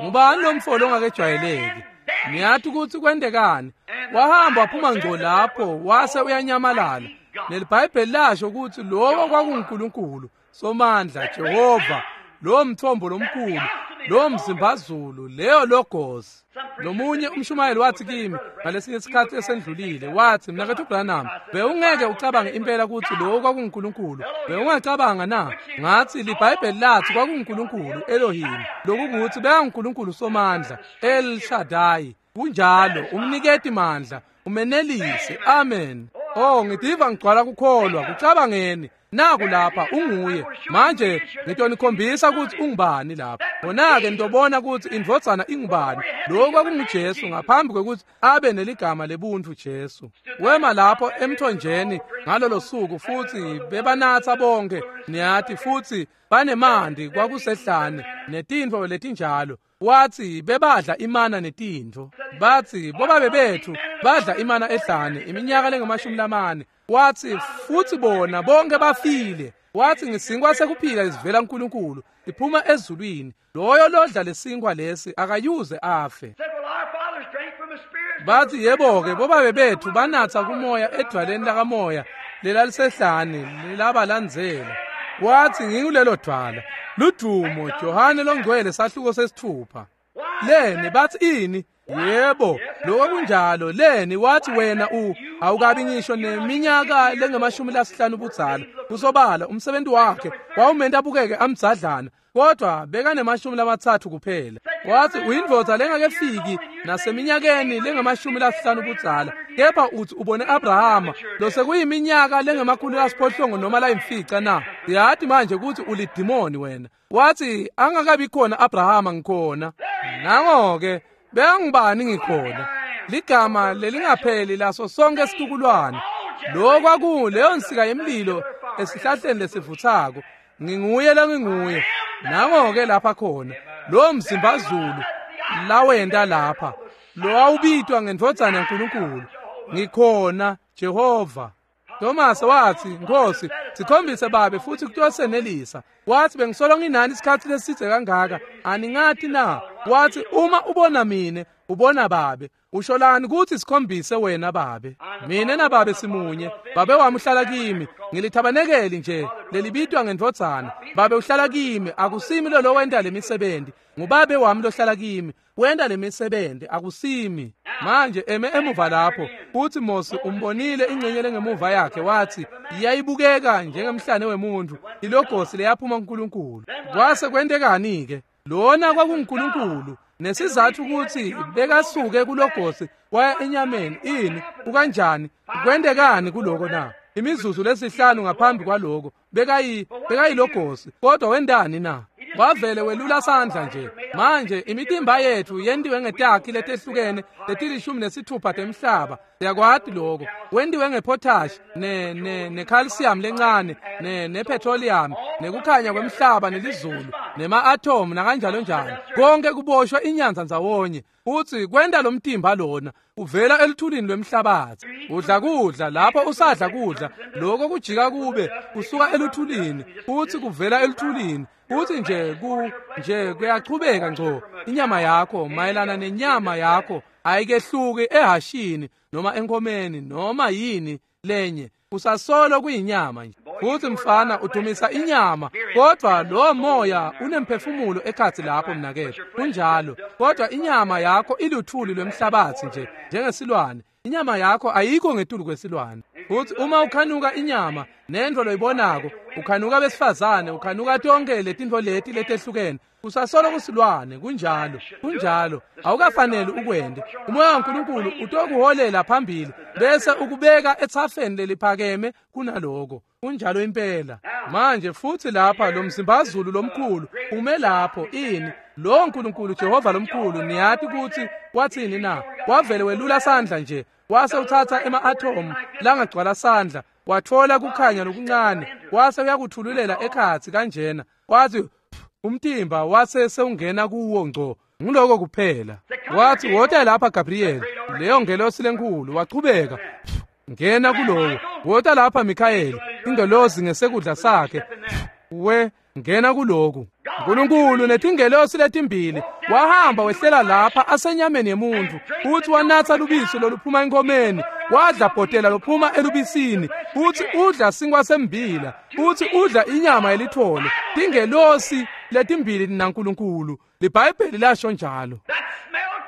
Ngubani lo mfo longakejwayeleki? Niyathi ukuthi kwentekani? Wahamba waphuma ngco lapho wase uyanyamalala. NeliBhayibheli lasho ukuthi lowo kwakunguNkulunkulu Somandla Jehova, lo mthombo lomkhulu, lo mzimbazulu, leyo logos. Nomunye umshumayeli wathi kimi ngalesinye isikhathi esendlulile, wathi mnakethu Branham, bewungeke ucabange impela ukuthi lowo kwakunguNkulunkulu, bewungacabanga na? Ngathi liBhayibheli lathi kwakunguNkulunkulu Elohim, lokukuthi bekanguNkulunkulu Somandla El Shaddai, kunjalo, umniketi mandla, Umenelise. Amen. Oh, ngitiva ngigcwala kukholwa. Kucabangeni. Naku lapha unguye. Manje ngitonikhombisa ukuthi ungubani lapha. Wona-ke nitobona ukuthi indvodzana ingubani. Lokho kwakunguJesu ngaphambi kwekuthi abe neligama lebuntu Jesu. Wema lapho emthonjeni ngalolo suku futhi bebanatha bonke niyathi futhi banemanti kwakusehlane netintfo letinjalo. Wathi bebadla imana netintfo. Bathi bobabe bethu badla imana ehlane iminyaka lengamashumi lamane. Wathi futhi bona bonke bafile. Wathi ngisinkwa sekuphila lesivela kuNkulunkulu iphuma ezulwini. Loyo lodla lesinkwa lesi akayuze afe. Bathi yebo-ke bobabe bethu banatha kumoya edwaleni lakamoya lelalisehlane lelabalandzela. Wathi ngikulelo dwala. Ludumo Johane longcwele sahluko sesithupha. Leni bathi ini? Yebo, lokho kunjalo. Leni wathi wena u awukabi ngisho neminyaka lengamashumi lasihlanu ubudzala. Kusobala umsebenzi wakhe wawumenta abukeke amdzadlana, kodwa bekanemashumi lamathathu kuphela. Wathi uyindvodza lengakefiki naseminyakeni lengamashumi lasihlanu ubudzala, kepha uthi ubone Abrahama losekuyiminyaka lengamakhulu lasiphohlongo noma layimfica na? Yathi manje ukuthi ulidimoni wena. Wathi angakabi khona Abrahama ngikhona. Nango-ke bengibani ngikhona. Ligama lelingapheli laso sonke isitukulwane. Lo kwakuleyo nsika yemlilo esihlahleni lesivuthako. Nginguye lenginguye. Nango-ke lapha khona lo mzimba zulu lawenda lapha lo awubitwa ngendvodzana yaNkulunkulu. Ngikhona Jehova. Thomas wathi Nkosi sikhombise babe futhi kutosenelisa. Wathi bengisolo nginani isikhathi lesithe kangaka aningathi na? Wathi uma ubona mine ubona babe. Usholani ukuthi sikhombise wena babe? Mina nababe simunye. Babe wami uhlala kimi. Ngilithabanekeli nje lelibitwa ngendvodzana. Babe uhlala kimi, akusimi lo lowenta lemisebenzi. Ngubabe wami lohlala kimi, wenta lemisebenzi, akusimi. Manje eme emuva lapho futhi Mose umbonile ingxenye lengemuva yakhe. Wathi iyayibukeka njengemhlane wemuntu, ilogosi leyaphuma kuNkulunkulu. Kwase kwentekani ke? Lona kwakunguNkulunkulu. Nesizathu ukuthi bekasuke kulogosi waya enyameni. Ini ukanjani? Kwentekani kuloko na? Imizuzu lesihlanu ngaphambi kwaloko bekayi bekayilogosi, kodwa wendani na? Wavele welula sandla nje. Manje imitimba yethu yentiwe ngetakhi letehlukene letilishumi nesithupha temhlaba. Siyakwati lokho. Wentiwe ngepotash ne ne necalcium lencane ne nepetroleum nekukhanya kwemhlaba nelizulu nema-atom nakanjalo njalo. Konke kuboshwa inyanza ndzawonye. Uthi kwenta lo mtimba lona uvela eluthulini lwemhlabathi. Udla kudla lapho usadla kudla lokho kujika kube kusuka eluthulini, uthi kuvela eluthulini. Uthi nje ku nje kuyachubeka ngco. Inyama yakho mayelana nenyama yakho ayikehluki ehashini noma enkomeni noma yini lenye. Usasolo kuyinyama nje. Futhi mfana udumisa inyama, kodwa lo moya unemphefumulo ekhathi lapho mnakethu. Kunjalo. Kodwa inyama yakho iluthuli lwemhlabathi nje njengesilwane. Inyama yakho ayikho ngetulu kwesilwane. Futhi uma ukhanuka inyama nendvo loyibonako, ukhanuka besifazane, ukhanuka tonke letintfo leti letehlukene, usasolo kusilwane. Kunjalo, kunjalo. Awukafanele ukwende. Umoya waNkulunkulu utokuholela phambili bese ukubeka ethafeni leliphakeme kunaloko. Kunjalo impela. Manje futhi lapha lo mzimbazulu lomkhulu ume lapho ini lo nkulunkulu Jehova lomkhulu, niyati ukuthi wathini na? Wavele welula sandla nje, wase uthatha ema-atom langagcwala sandla, wathola kukhanya lokuncane, wase uyakuthululela ekhatsi kanjena. Wathi umtimba wase sewungena kuwo ngco. Nguloko kuphela. Wathi wota lapha Gabriel, leyo ngelosi lenkulu. Wachubeka ngena kulowo. Wota lapha Mikhayeli, ingelosi ngesekudla sakhe. We ngena kuloku. uNkulunkulu netingelosi letimbili wahamba wehlela lapha asenyameni yemuntu, uthi wanatha lubisi loluphuma enkomeni, wadla bhotela lophuma elubisini, uthi udla sinkwa sembila, uthi udla inyama yelithole. Tingelosi letimbili naNkulunkulu. LiBhayibheli lasho njalo.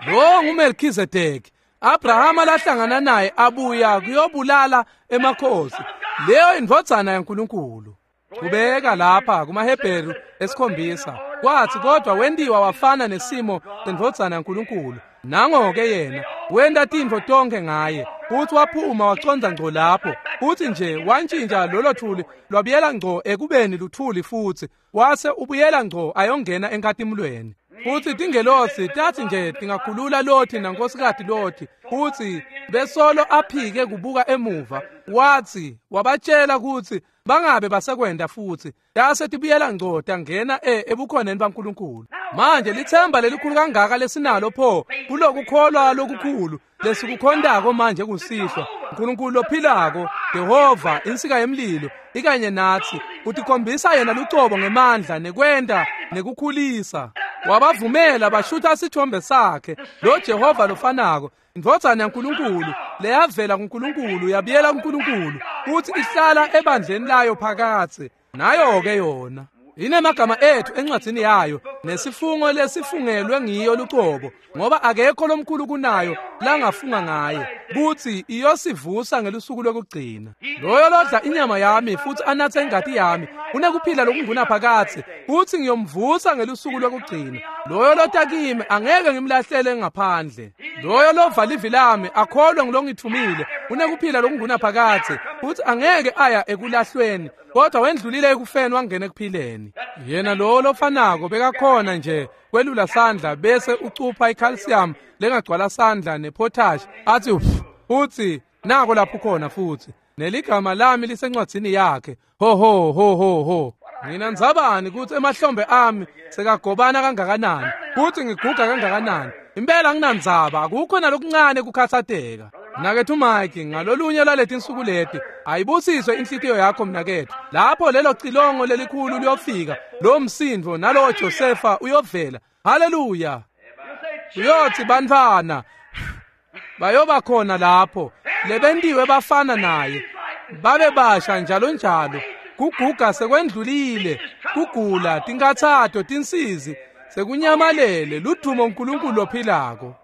Lo nguMelkhizedeki Abrahama lahlangana naye abuya kuyobulala emakhosi. Leyo indvodzana yaNkulunkulu. Kubeka lapha kumaHebheru esikhombisa. Kwathi kodwa wendiwa wafana nesimo sendvodzana yaNkulunkulu. Nango-ke yena wenta tintfo tonke ngaye. Futhi waphuma wacondza ngco lapho. Futhi nje wantshintsha lolo thuli lwabuyela ngco ekubeni luthuli futhi wase ubuyela ngco ayongena enkatimulweni. Futhi tingelosi tathi nje tingakhulula Lothi nankosikazi Lothi futhi besolo aphike kubuka emuva wathi wabatshela ukuthi bangabe basekwenda futhi tase tibuyela ngco tangena ebukhoneni baNkulunkulu. Manje lithemba lelikhulu kangaka lesinalo pho kulokukholwa lokukhulu lesikukhondako manje kusihlwa. uNkulunkulu lophilako Jehova insika yemlilo ikanye nathi utikhombisa yena lucobo ngemandla nekwenda nekukhulisa. Wabavumela bashutha sithombe sakhe lo Jehova lofanako indvodzana yaNkulunkulu leyavela kuNkulunkulu yabuyela kuNkulunkulu futhi ihlala ebandleni layo phakathe nayo ke yona inemagama ethu encwadini yayo nesifungo lesifungelwe ngiyo lucobo ngoba akekho lomkhulu kunayo langafunga ngaye kuthi iyosivusa ngelusuku lokugcina. Loyo lodla inyama yami futhi anathe ingati yami unekuphila lokungunaphakadze futhi ngiyomvusa ngelusuku lokugcina. Loyo lota kimi angeke ngimlahlele ngaphandle. Loyo lova livi lami akholwe ngilongithumile unekuphila lokungunaphakadze futhi angeke aya ekulahlweni kodwa wendlulile ekufeni wangena ekuphileni. Yena lo lofanako bekakhona nje kwelula sandla bese ucupha icalcium lengagcwala sandla nepotash athi uthi nako lapho khona futhi neligama lami lisencwadzini yakhe. Ho ho ho ho ho. Mina ndzabani ukuthi emahlombe ami sekagobana kangakanani futhi ngiguga kangakanani. Impela nginandzaba akukho nalokuncane kukhathateka. Mnakethu Mike ngalolunye lwaleti insuku leti ayibusiswe inhlitiyo yakho mnakethu. Lapho lelo cilongo lelikhulu liyofika lo msindvo nalowo Josefa uyovela. Haleluya. Uyothi bantfwana bayoba khona lapho lebentiwe bafana naye babe basha njalo njalo. Kuguga sekwendlulile, kugula, tinkathato, tinsizi sekunyamalele. Ludumo uNkulunkulu lophilako.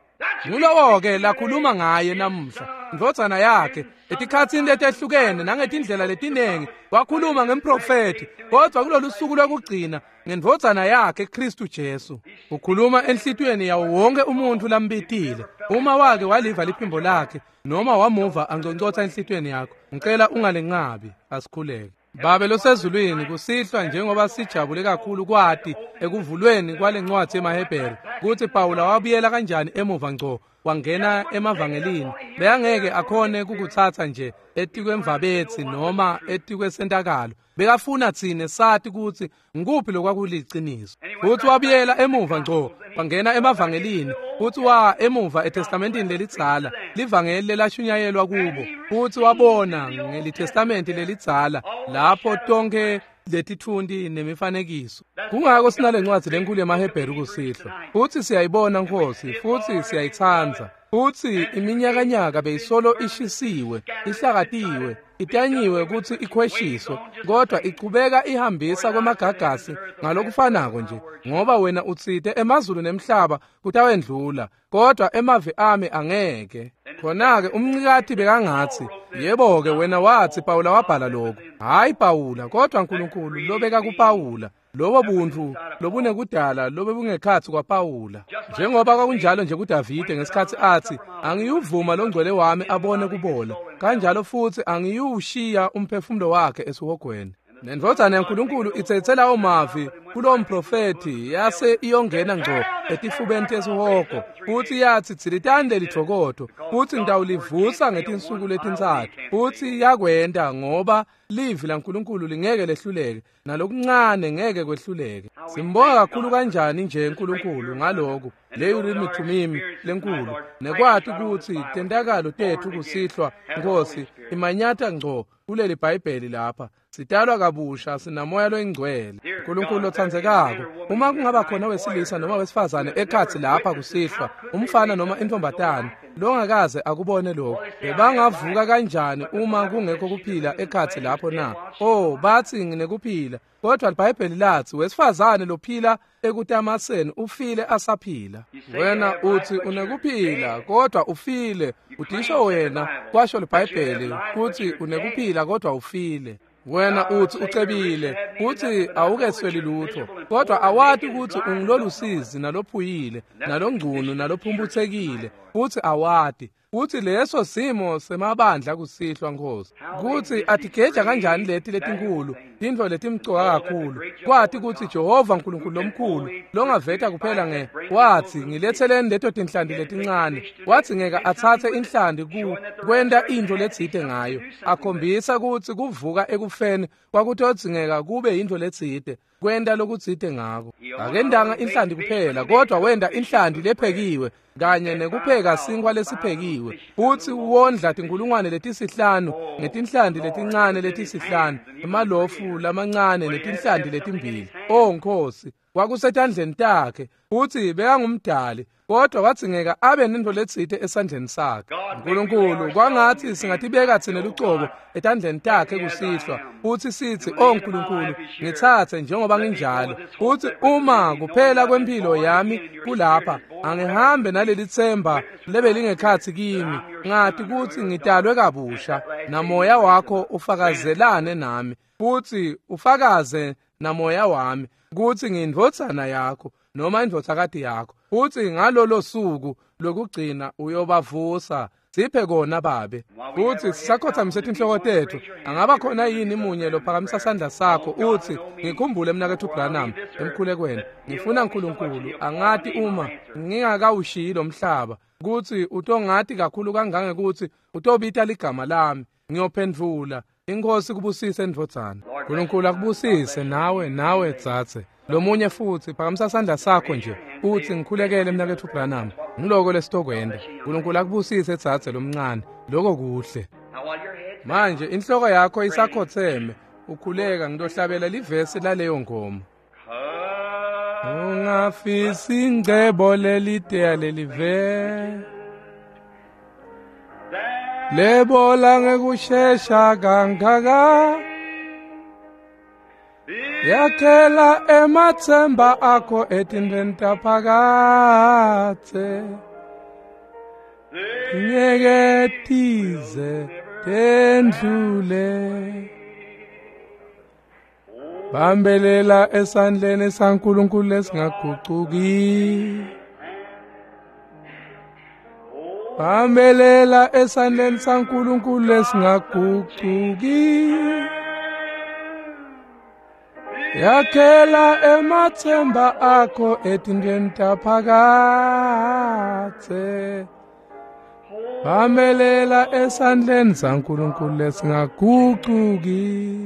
Ngulowo-ke lakhuluma ngaye namuhla indvodzana yakhe etikhatsini letehlukene nangetindlela letinengi wakhuluma ngemprofethi kodwa kulolu suku lokugcina ngendvodzana yakhe Kristu Jesu. Ukhuluma enhlitiyweni yawo wonke umuntu lambitile. Uma wake waliva liphimbo lakhe noma wamuva angconcotha enhlitiyweni yakho, ngicela ungalenqabi. Asikhuleke. Babe losezulwini, kusihlwa njengoba sijabule kakhulu kwati ekuvulweni kwalencwadi emaHebheru ukuthi Pawula wabuyela kanjani emuva ngco wangena emavangelini. Bekangeke akhone kukuthatha nje etikwemvabetsi noma etikwesentakalo. Bekafuna tsine sati ukuthi ngikuphi lokwakuliciniso. Futhi wabuyela emuva ngco wangena emavangelini futhi wa emuva eTestamentini lelidzala livangeli lelashunyayelwa kubo futhi wabona ngelitestamenti lelidzala lapho tonke letitfunti nemifanekiso. Kungako sinale ncwadi lenkulu yemaHebheru kusihlwa futhi siyayibona Nkosi futhi siyayitsandza. Futhi iminyakanyaka beyisolo ishisiwe, ihlakatiwe, itanyiwe ukuthi ikhweshiswe, kodwa ichubeka ihambisa kwemagagasi ngalokufanako nje, ngoba wena utsite emazulu nemhlaba kutawendlula kodwa emavi ami angeke. Khona-ke umncikati bekangatsi yebo-ke wena wathi Pawula wabhala lokhu. Hayi Pawula, kodwa uNkulunkulu lobeka kuPawula lobo buntu lobunekudala lobe bungekhatsi kwaPawula. Njengoba kwakunjalo nje kuDavide ngesikhatsi athi angiyuvuma longcwele wami abone kubola, kanjalo futhi angiyushiya umphefumulo wakhe esihogweni. Nendvodzana yaNkulunkulu itsetse lawo mavi kulowo mprofethi yase iyongena ngco etifubeni tesihogo futhi yathi dzilitani lelidvokodvo futhi ngitawulivusa ngetinsuku letintsatfu. Futhi yakwenta ngoba livi laNkulunkulu lingeke lehluleke nalokuncane ngeke kwehluleke. Simbonga kakhulu kanjani nje uNkulunkulu ngaloku leyo Thumimi lenkulu nekwati ukuthi tentakalo tethu kusihlwa Nkosi imanyata ngco kuleli Bhayibheli lapha. Sitalwa kabusha sinamoya loyingcwele. uNkulunkulu lotsandzekako, uma kungaba khona wesilisa noma wesifazane ekhatsi lapha kusihlwa, umfana noma intombatane longakaze akubone lokho, bebangavuka kanjani uma kungekho kuphila ekhatsi lapho na? Oh, bathi nginekuphila, kodwa iBhayibheli lathi wesifazane lophila ekutamaseni ufile asaphila. Wena uthi unekuphila kodwa ufile. Udisho wena kwasho iBhayibheli kuthi unekuphila kodwa ufile. Wena uthi ucebile uthi awukesweli lutho, kodwa awati ukuthi ungilolusizi nalophuyile nalongcunu nalophumputhekile Futsi awati kutsi leso simo semabandla kusihlwa Nkosi, kutsi atigeja kanjani leti letinkulu tintfo letimcoka kakhulu, kwati kutsi Jehova Nkulunkulu lomkhulu longaveta kuphela nge watsi ngiletseleni leto tinhlanti letincane, watsi ngeke atsatse inhlanti ku kwenta intfo letsite ngayo, akhombisa kutsi kuvuka ekufeni kwakutodzingeka kube yintfo letsite kwenta lokutsite ngako. Akendanga inhlanti kuphela, kodwa wenta inhlanti lephekiwe kanye nekupheka sinkhwa lesiphekiwe, futsi wondla tinkulungwane letisihlanu ngetinhlanti letincane letisihlanu, emalofu lamancane netinhlanti letimbili. O Nkosi, kwakusetandleni takhe, futsi bekangumdali, kodwa wadzingeka abe nentfo letsite esandleni sakhe. Nkulunkulu, kwangatsi singatibeka tsine lucobo etandleni takhe kusihlwa, futsi sitsi, O Nkulunkulu, ngitsatse njengoba nginjalo, futsi uma kuphela kwemphilo yami kulapha, angihambe naleli tsemba lebelingekhatsi kimi, ngati kutsi ngitalwe kabusha, namoya wakho ufakazelane nami, futsi ufakaze namoya wami kutsi ngiyindvodzana yakho noma indvodzakati yakho, futsi ngalolo suku lokugcina uyobavusa. Siphe kona Babe. Futsi sisakhothamise tinhloko tetfu, angaba khona yini munye lophakamisa sandla sakho utsi, ngikhumbule mnaketfu Branham emkhulekweni, ngifuna Nkulunkulu angati uma ngingakawushiyi lo mhlaba kutsi utongati kakhulu kangangekutsi utobita ligama lami, ngiyophendvula. Inkosi kubusise ndvodzana. Nkulunkulu akubusise nawe, nawe dzadze. Lomunye futsi phakamisa sandla sakho nje utsi, ngikhulekele mnaketfu Branham, ngiloko lesitokwenda. Nkulunkulu akubusise dzadze lomncane, loko kuhle. Manje inhloko yakho isakhotseme ukhuleka, ngitohlabela livesi laleyo ngoma. Ungafisi ingcebo leliteya lelive, lebola ngekushesha kangaka, yakhela ematsemba akho etintfweni taphakadze, ngeke tize tendlule. Bambelela esandleni saNkulunkulu lesingagucuki, bambelela esandleni saNkulunkulu lesingagucuki, yakhela ematsemba akho etintfweni taphakadze, bambelela esandleni saNkulunkulu lesingagucuki.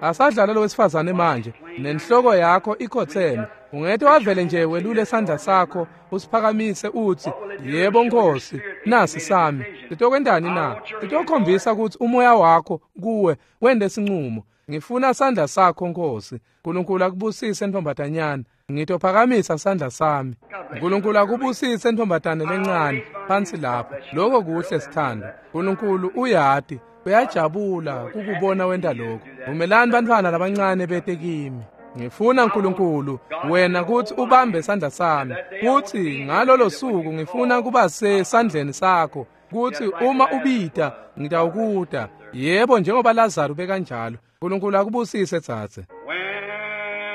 Asadlala lo wesifazane manje, nenhloko yakho ikhotseme, ungete wavele nje welule sandla sakho usiphakamise utsi, yebo Nkosi, nasi sami. Sitokwentani na? Sitokhombisa kutsi umoya wakho kuwe wente sincumo. Ngifuna sandla sakho Nkosi. Nkulunkulu akubusise ntombatanyana, ngitophakamisa sandla sami. Nkulunkulu akubusise ntombatane lencane phansi lapha. Lokho kuhle sithando. Nkulunkulu uyati, uyajabula kukubona wenta lokho. Vumelani bantfwana labancane bete kimi. Ngifuna Nkulunkulu wena kutsi ubambe sandla sami, kutsi ngalolo suku ngifuna kuba sesandleni sakho, kutsi uma ubita ngitawukuta. Yebo, njengoba Lazaro bekanjalo. Nkulunkulu akubusise dzadze.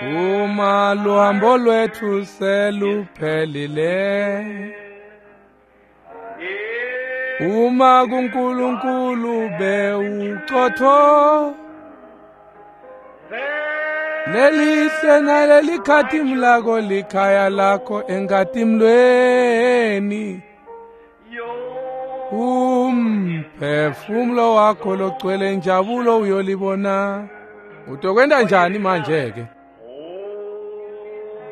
Uma luhambo lwetfu seluphelile, uma kuNkulunkulu bewucotho, lelihle nalelikhatimu lako likhaya lakho enkatimlweni, umphefumulo wakho logcwele injabulo uyolibona. Utokwenta njani manje ke?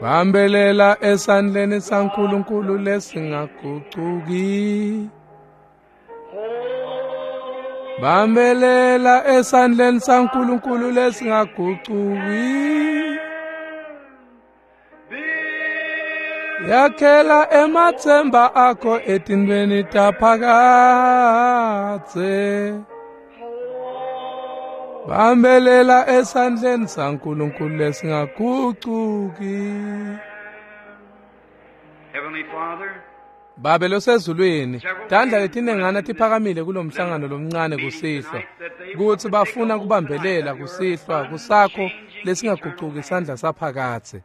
Bambelela esandleni saNkulunkulu lesingagucuki, bambelela esandleni saNkulunkulu lesingagucuki, yakhela ematsemba akho etintfweni taphakadze, bambelela esandleni saNkulunkulu lesingagucuki. Heavenly Father, Babe losezulwini, tandla letinengana tiphakamile kulomhlangano lomncane kusihlwa, kutsi bafuna kubambelela kusihlwa kusakho lesingagucuki sandla saphakadze.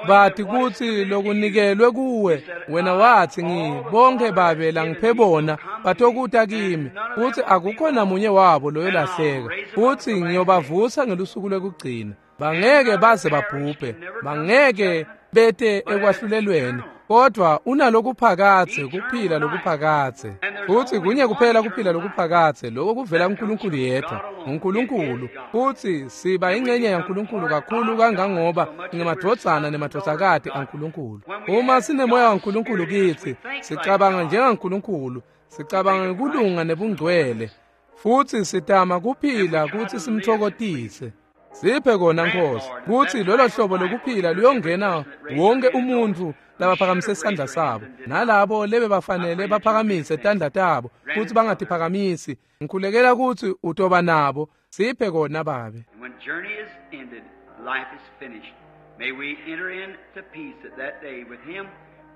Bathi kutsi lokunikelwe kuwe wena wathi ngi bonke babe langiphe bona batokuta kimi futhi akukho namunye wabo loyo lahleka futhi ngiyobavusa ngelusuku lwekugcina. Bangeke baze babhubhe, bangeke bete ekwahlulelweni, kodwa unalokuphakathe kuphila lokuphakathe. Futhi kunye kuphela kuphila lokuphakathe lokho kuvela kuNkulunkulu yedwa, uNkulunkulu. Futhi siba ingxenye yaNkulunkulu kakhulu kangangoba ngemadvodzana nemadvodzakati aNkulunkulu. Uma sinemoya waNkulunkulu kithi, sicabanga njengaNkulunkulu, sicabanga ngekulunga nebungcwele, futhi sitama kuphila kuthi simthokozise. Siphe kona Nkosi kuthi lolo hlobo lokuphila luyongena wonke umuntu labaphakamise isandla sabo nalabo lebe bafanele baphakamise tandla tabo futhi bangatiphakamisi. Ngikhulekela ukuthi utoba nabo. Siphe kona Babe. When journey is ended, life is finished. May we enter into peace at that day with him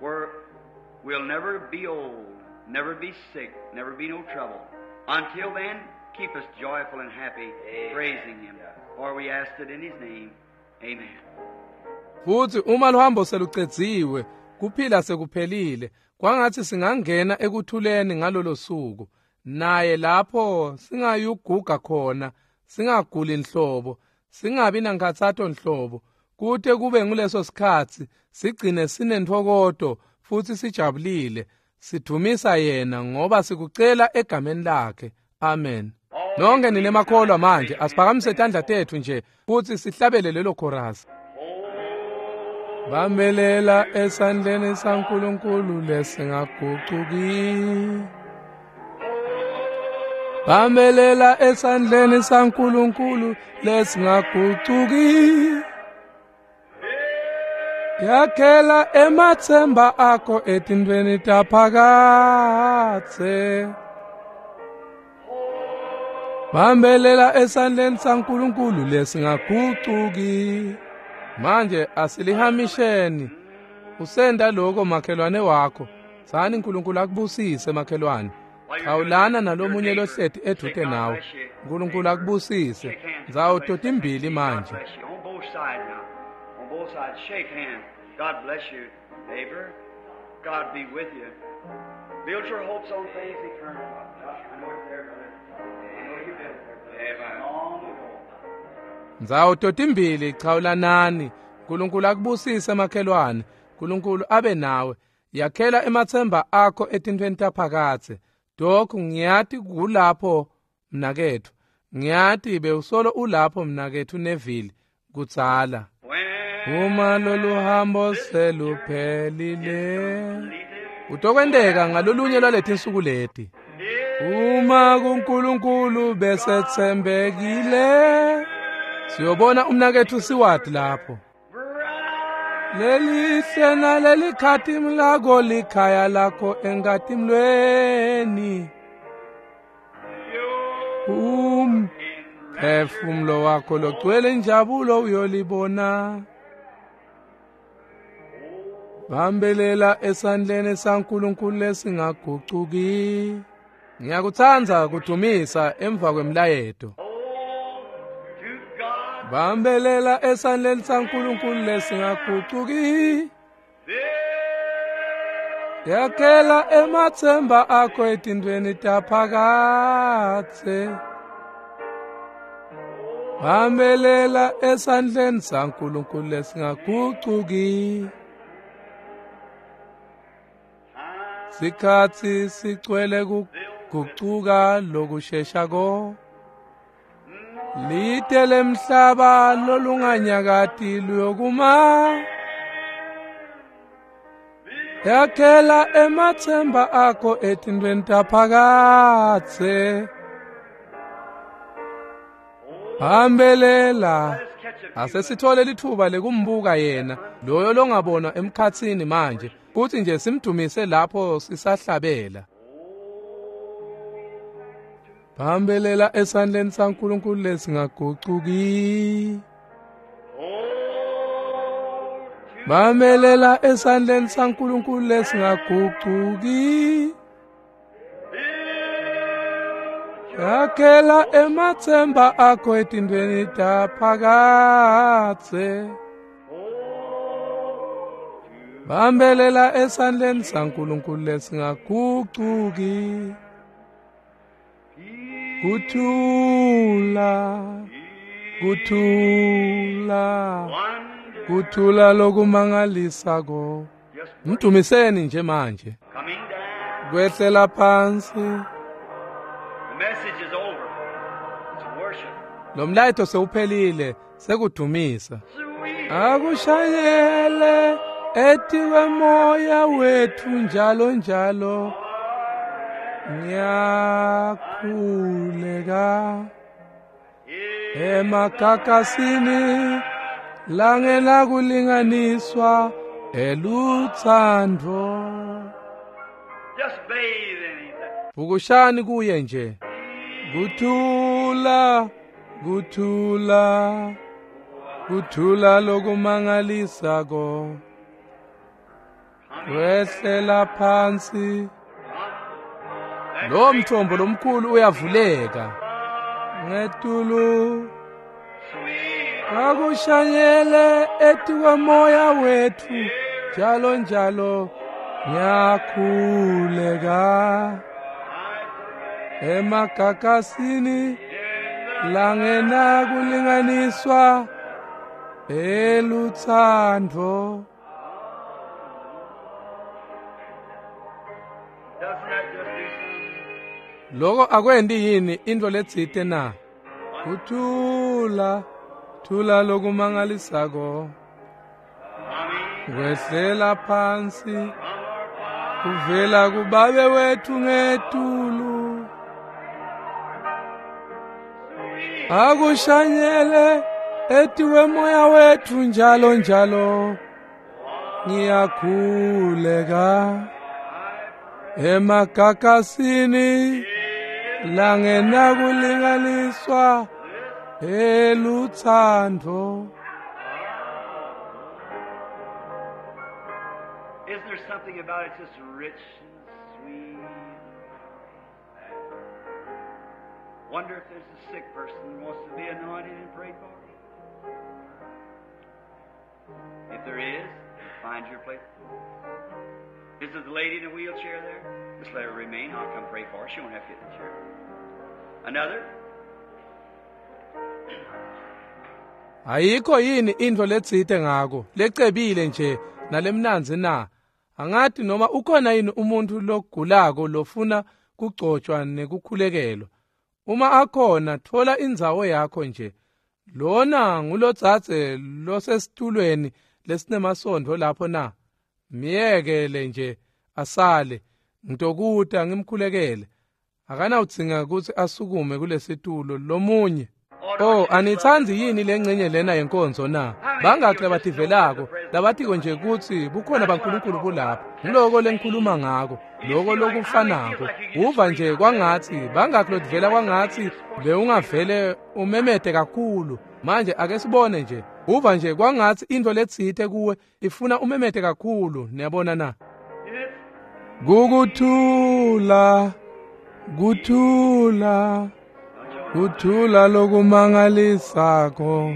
where we'll never be old, never be sick, never be no trouble. Until then, keep us joyful and happy, praising him. For we ask it in his name. Amen. Futhi uma luhambo selucedziwe, kuphila sekuphelile, kwangathi singangena ekuthuleni ngalolo suku. Naye lapho singayuguga khona, singaguli inhlobo, singabi nankhathato nhlobo. Kute kube nguleso sikhatsi sigcine sinentfokoto futhi sijabulile, sidumisa yena ngoba sikucela egameni lakhe. Amen. Nonke nine makholwa manje asiphakamise tandla tethu nje futhi sihlabele lelo chorus. Bambelela esandleni saNkulunkulu lesingagucuki. Bambelela esandleni saNkulunkulu lesingagucuki. Yakhela emathemba akho etintweni taphakathe. Bambelela esandleni saNkulunkulu lesingagucuki. Manje asilihamisheni. Usenda lokho makhelwane wakho. Sani uNkulunkulu akubusise makhelwane. Xawulana nalomunye lohleti edute nawe. uNkulunkulu akubusise. Ndzawo totimbili manje. On both sides now. On both sides shake hands. God bless you, neighbor. God be with you. Build your hopes on things eternal. I know it's there, brother. I know you built there, brother. Long ago. Ndzawo totimbili chawulanani. uNkulunkulu akubusise makhelwane. uNkulunkulu abe nawe. Yakhela emathemba akho etintweni taphakathe. Dokhu ngiyati kulapho mnakethu. Ngiyati bewusolo ulapho mnakethu Neville kudzala. Uma lolu hambo seluphelile, utokwenteka ngalolunye lwaletinsuku leti. Uma kuNkulunkulu besethembekile, siyobona umnakethu Siwadi lapho. Lelihle nalelikhati mlako likhaya lakho engatimlweni. Um phefumulo wakho logcwele injabulo uyolibona. Bambelela esandleni saNkulunkulu lesingagucuki. Ngiyakutsandza kudumisa emva kwemlayeto. Bambelela esandleni saNkulunkulu lesingagucuki. Yakhela emathemba akho etintweni taphakathe. Bambelela esandleni saNkulunkulu lesingagucuki. Sikhatsi sicwele kugucuka lokusheshako. Lite lemhlaba lolunganyakati luyokuma. Yakhela emathemba akho etintweni taphakathe. Bambelela. Asesithole lithuba lekumbuka yena loyo longabonwa emkhatsini manje, kuthi nje simdumise lapho sisahlabela. Bambelela esandleni saNkulunkulu lesingagucuki. Bambelela esandleni saNkulunkulu lesingagucuki. Yakhela emathemba akho etintweni taphakathe. Bambelela esandleni saNkulunkulu lesingagucuki. Kuthula, kuthula, kuthula lokumangalisako. Mdumiseni nje manje. Kwehlela phansi. The message is over. It's worship. Lo mlayeto sewuphelile, sekudumisa. Akushayele etiwe moya wethu njalo njalo. Ngiyakhuleka emakakasini langena kulinganiswa eluthando. Just bathe in him. Vukushani kuye nje. Kuthula, kuthula, kuthula lokumangalisako. Kwehlela phansi. Lo mthombo lomkhulu uyavuleka. Ngetulu akushanyele etikwe moya wethu njalo njalo. Ngiyakhuleka emakakasini langena kulinganiswa eluthando. Doesn't that just do something? Loko akwendi yini into letsite na? Kuthula, thula lokumangalisako. Kwehlela phansi kuvela kubabe wethu ngetulu. Akushanyele etiwe moya wethu njalo njalo. Ngiyakhuleka emakakasini langena kulinganiswa eluthando. Isn't there something about it just rich and sweet? Wonder if there's a sick person who wants to be anointed and prayed for. If there is, find your place. Is there the lady in the wheelchair there? Just let her remain. I'll come pray for her. She won't have to get in the chair. Another? Ayikho yini into letsite ngako lecebile nje nalemnanzi na? Angathi noma ukhona yini umuntu logulako lofuna kugcotshwa nekukhulekelwa. Uma akhona, thola indzawo yakho nje. Lona ngulotsatse losesitulweni lesinemasondvo lapho na? Miyekele nje asale, ngitokuta ngimkhulekele. Akanawudzinga ukuthi asukume kulesitulo lomunye. Oh, anitsandzi yini lengcenye lena yenkonzo na? Bangakhi labativelako labatiko nje kutsi bukhona baNkulunkulu bulapha. Ngiloko lengikhuluma ngako, loko lokufanako. Uva nje kwangatsi bangakhi lotivela kwangatsi bewungavele umemete kakhulu. Manje ake sibone nje. Uva nje kwangatsi into letsite kuwe ifuna umemete kakhulu, niyabona na? Kukuthula, kuthula, kuthula lokumangalisako.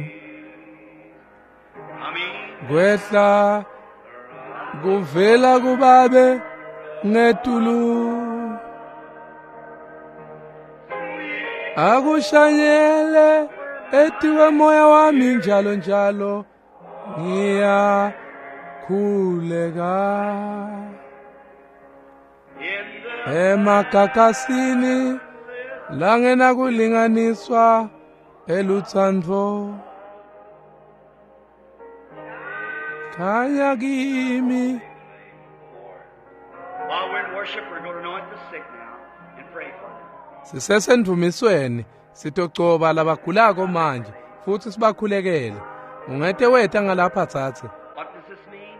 Kwehla kuvela kubabe ngetulu. Akushanyele etiwe moya wami njalo njalo. Ngiyakhuleka emakakasini langena kulinganiswa eluthando. Khanya kimi. While we're in worship, we're going to anoint the sick now and pray for them. Sisesendvumisweni sitogcoba labagulako manje futsi sibakhulekele. Ungete weta ngalapha tsatse. What does this mean?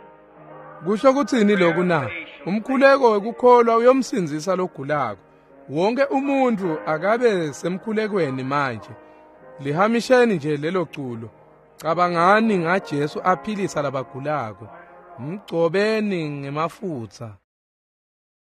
Kusho kutsini lokhu na? Umkhuleko wekukholwa uyomsindzisa logulako. Wonke umuntu akabe semkhulekweni manje. Lihamisheni nje lelo culo. Cabangani ngaJesu aphilisa labagulako. Mgcobeni ngemafutsa.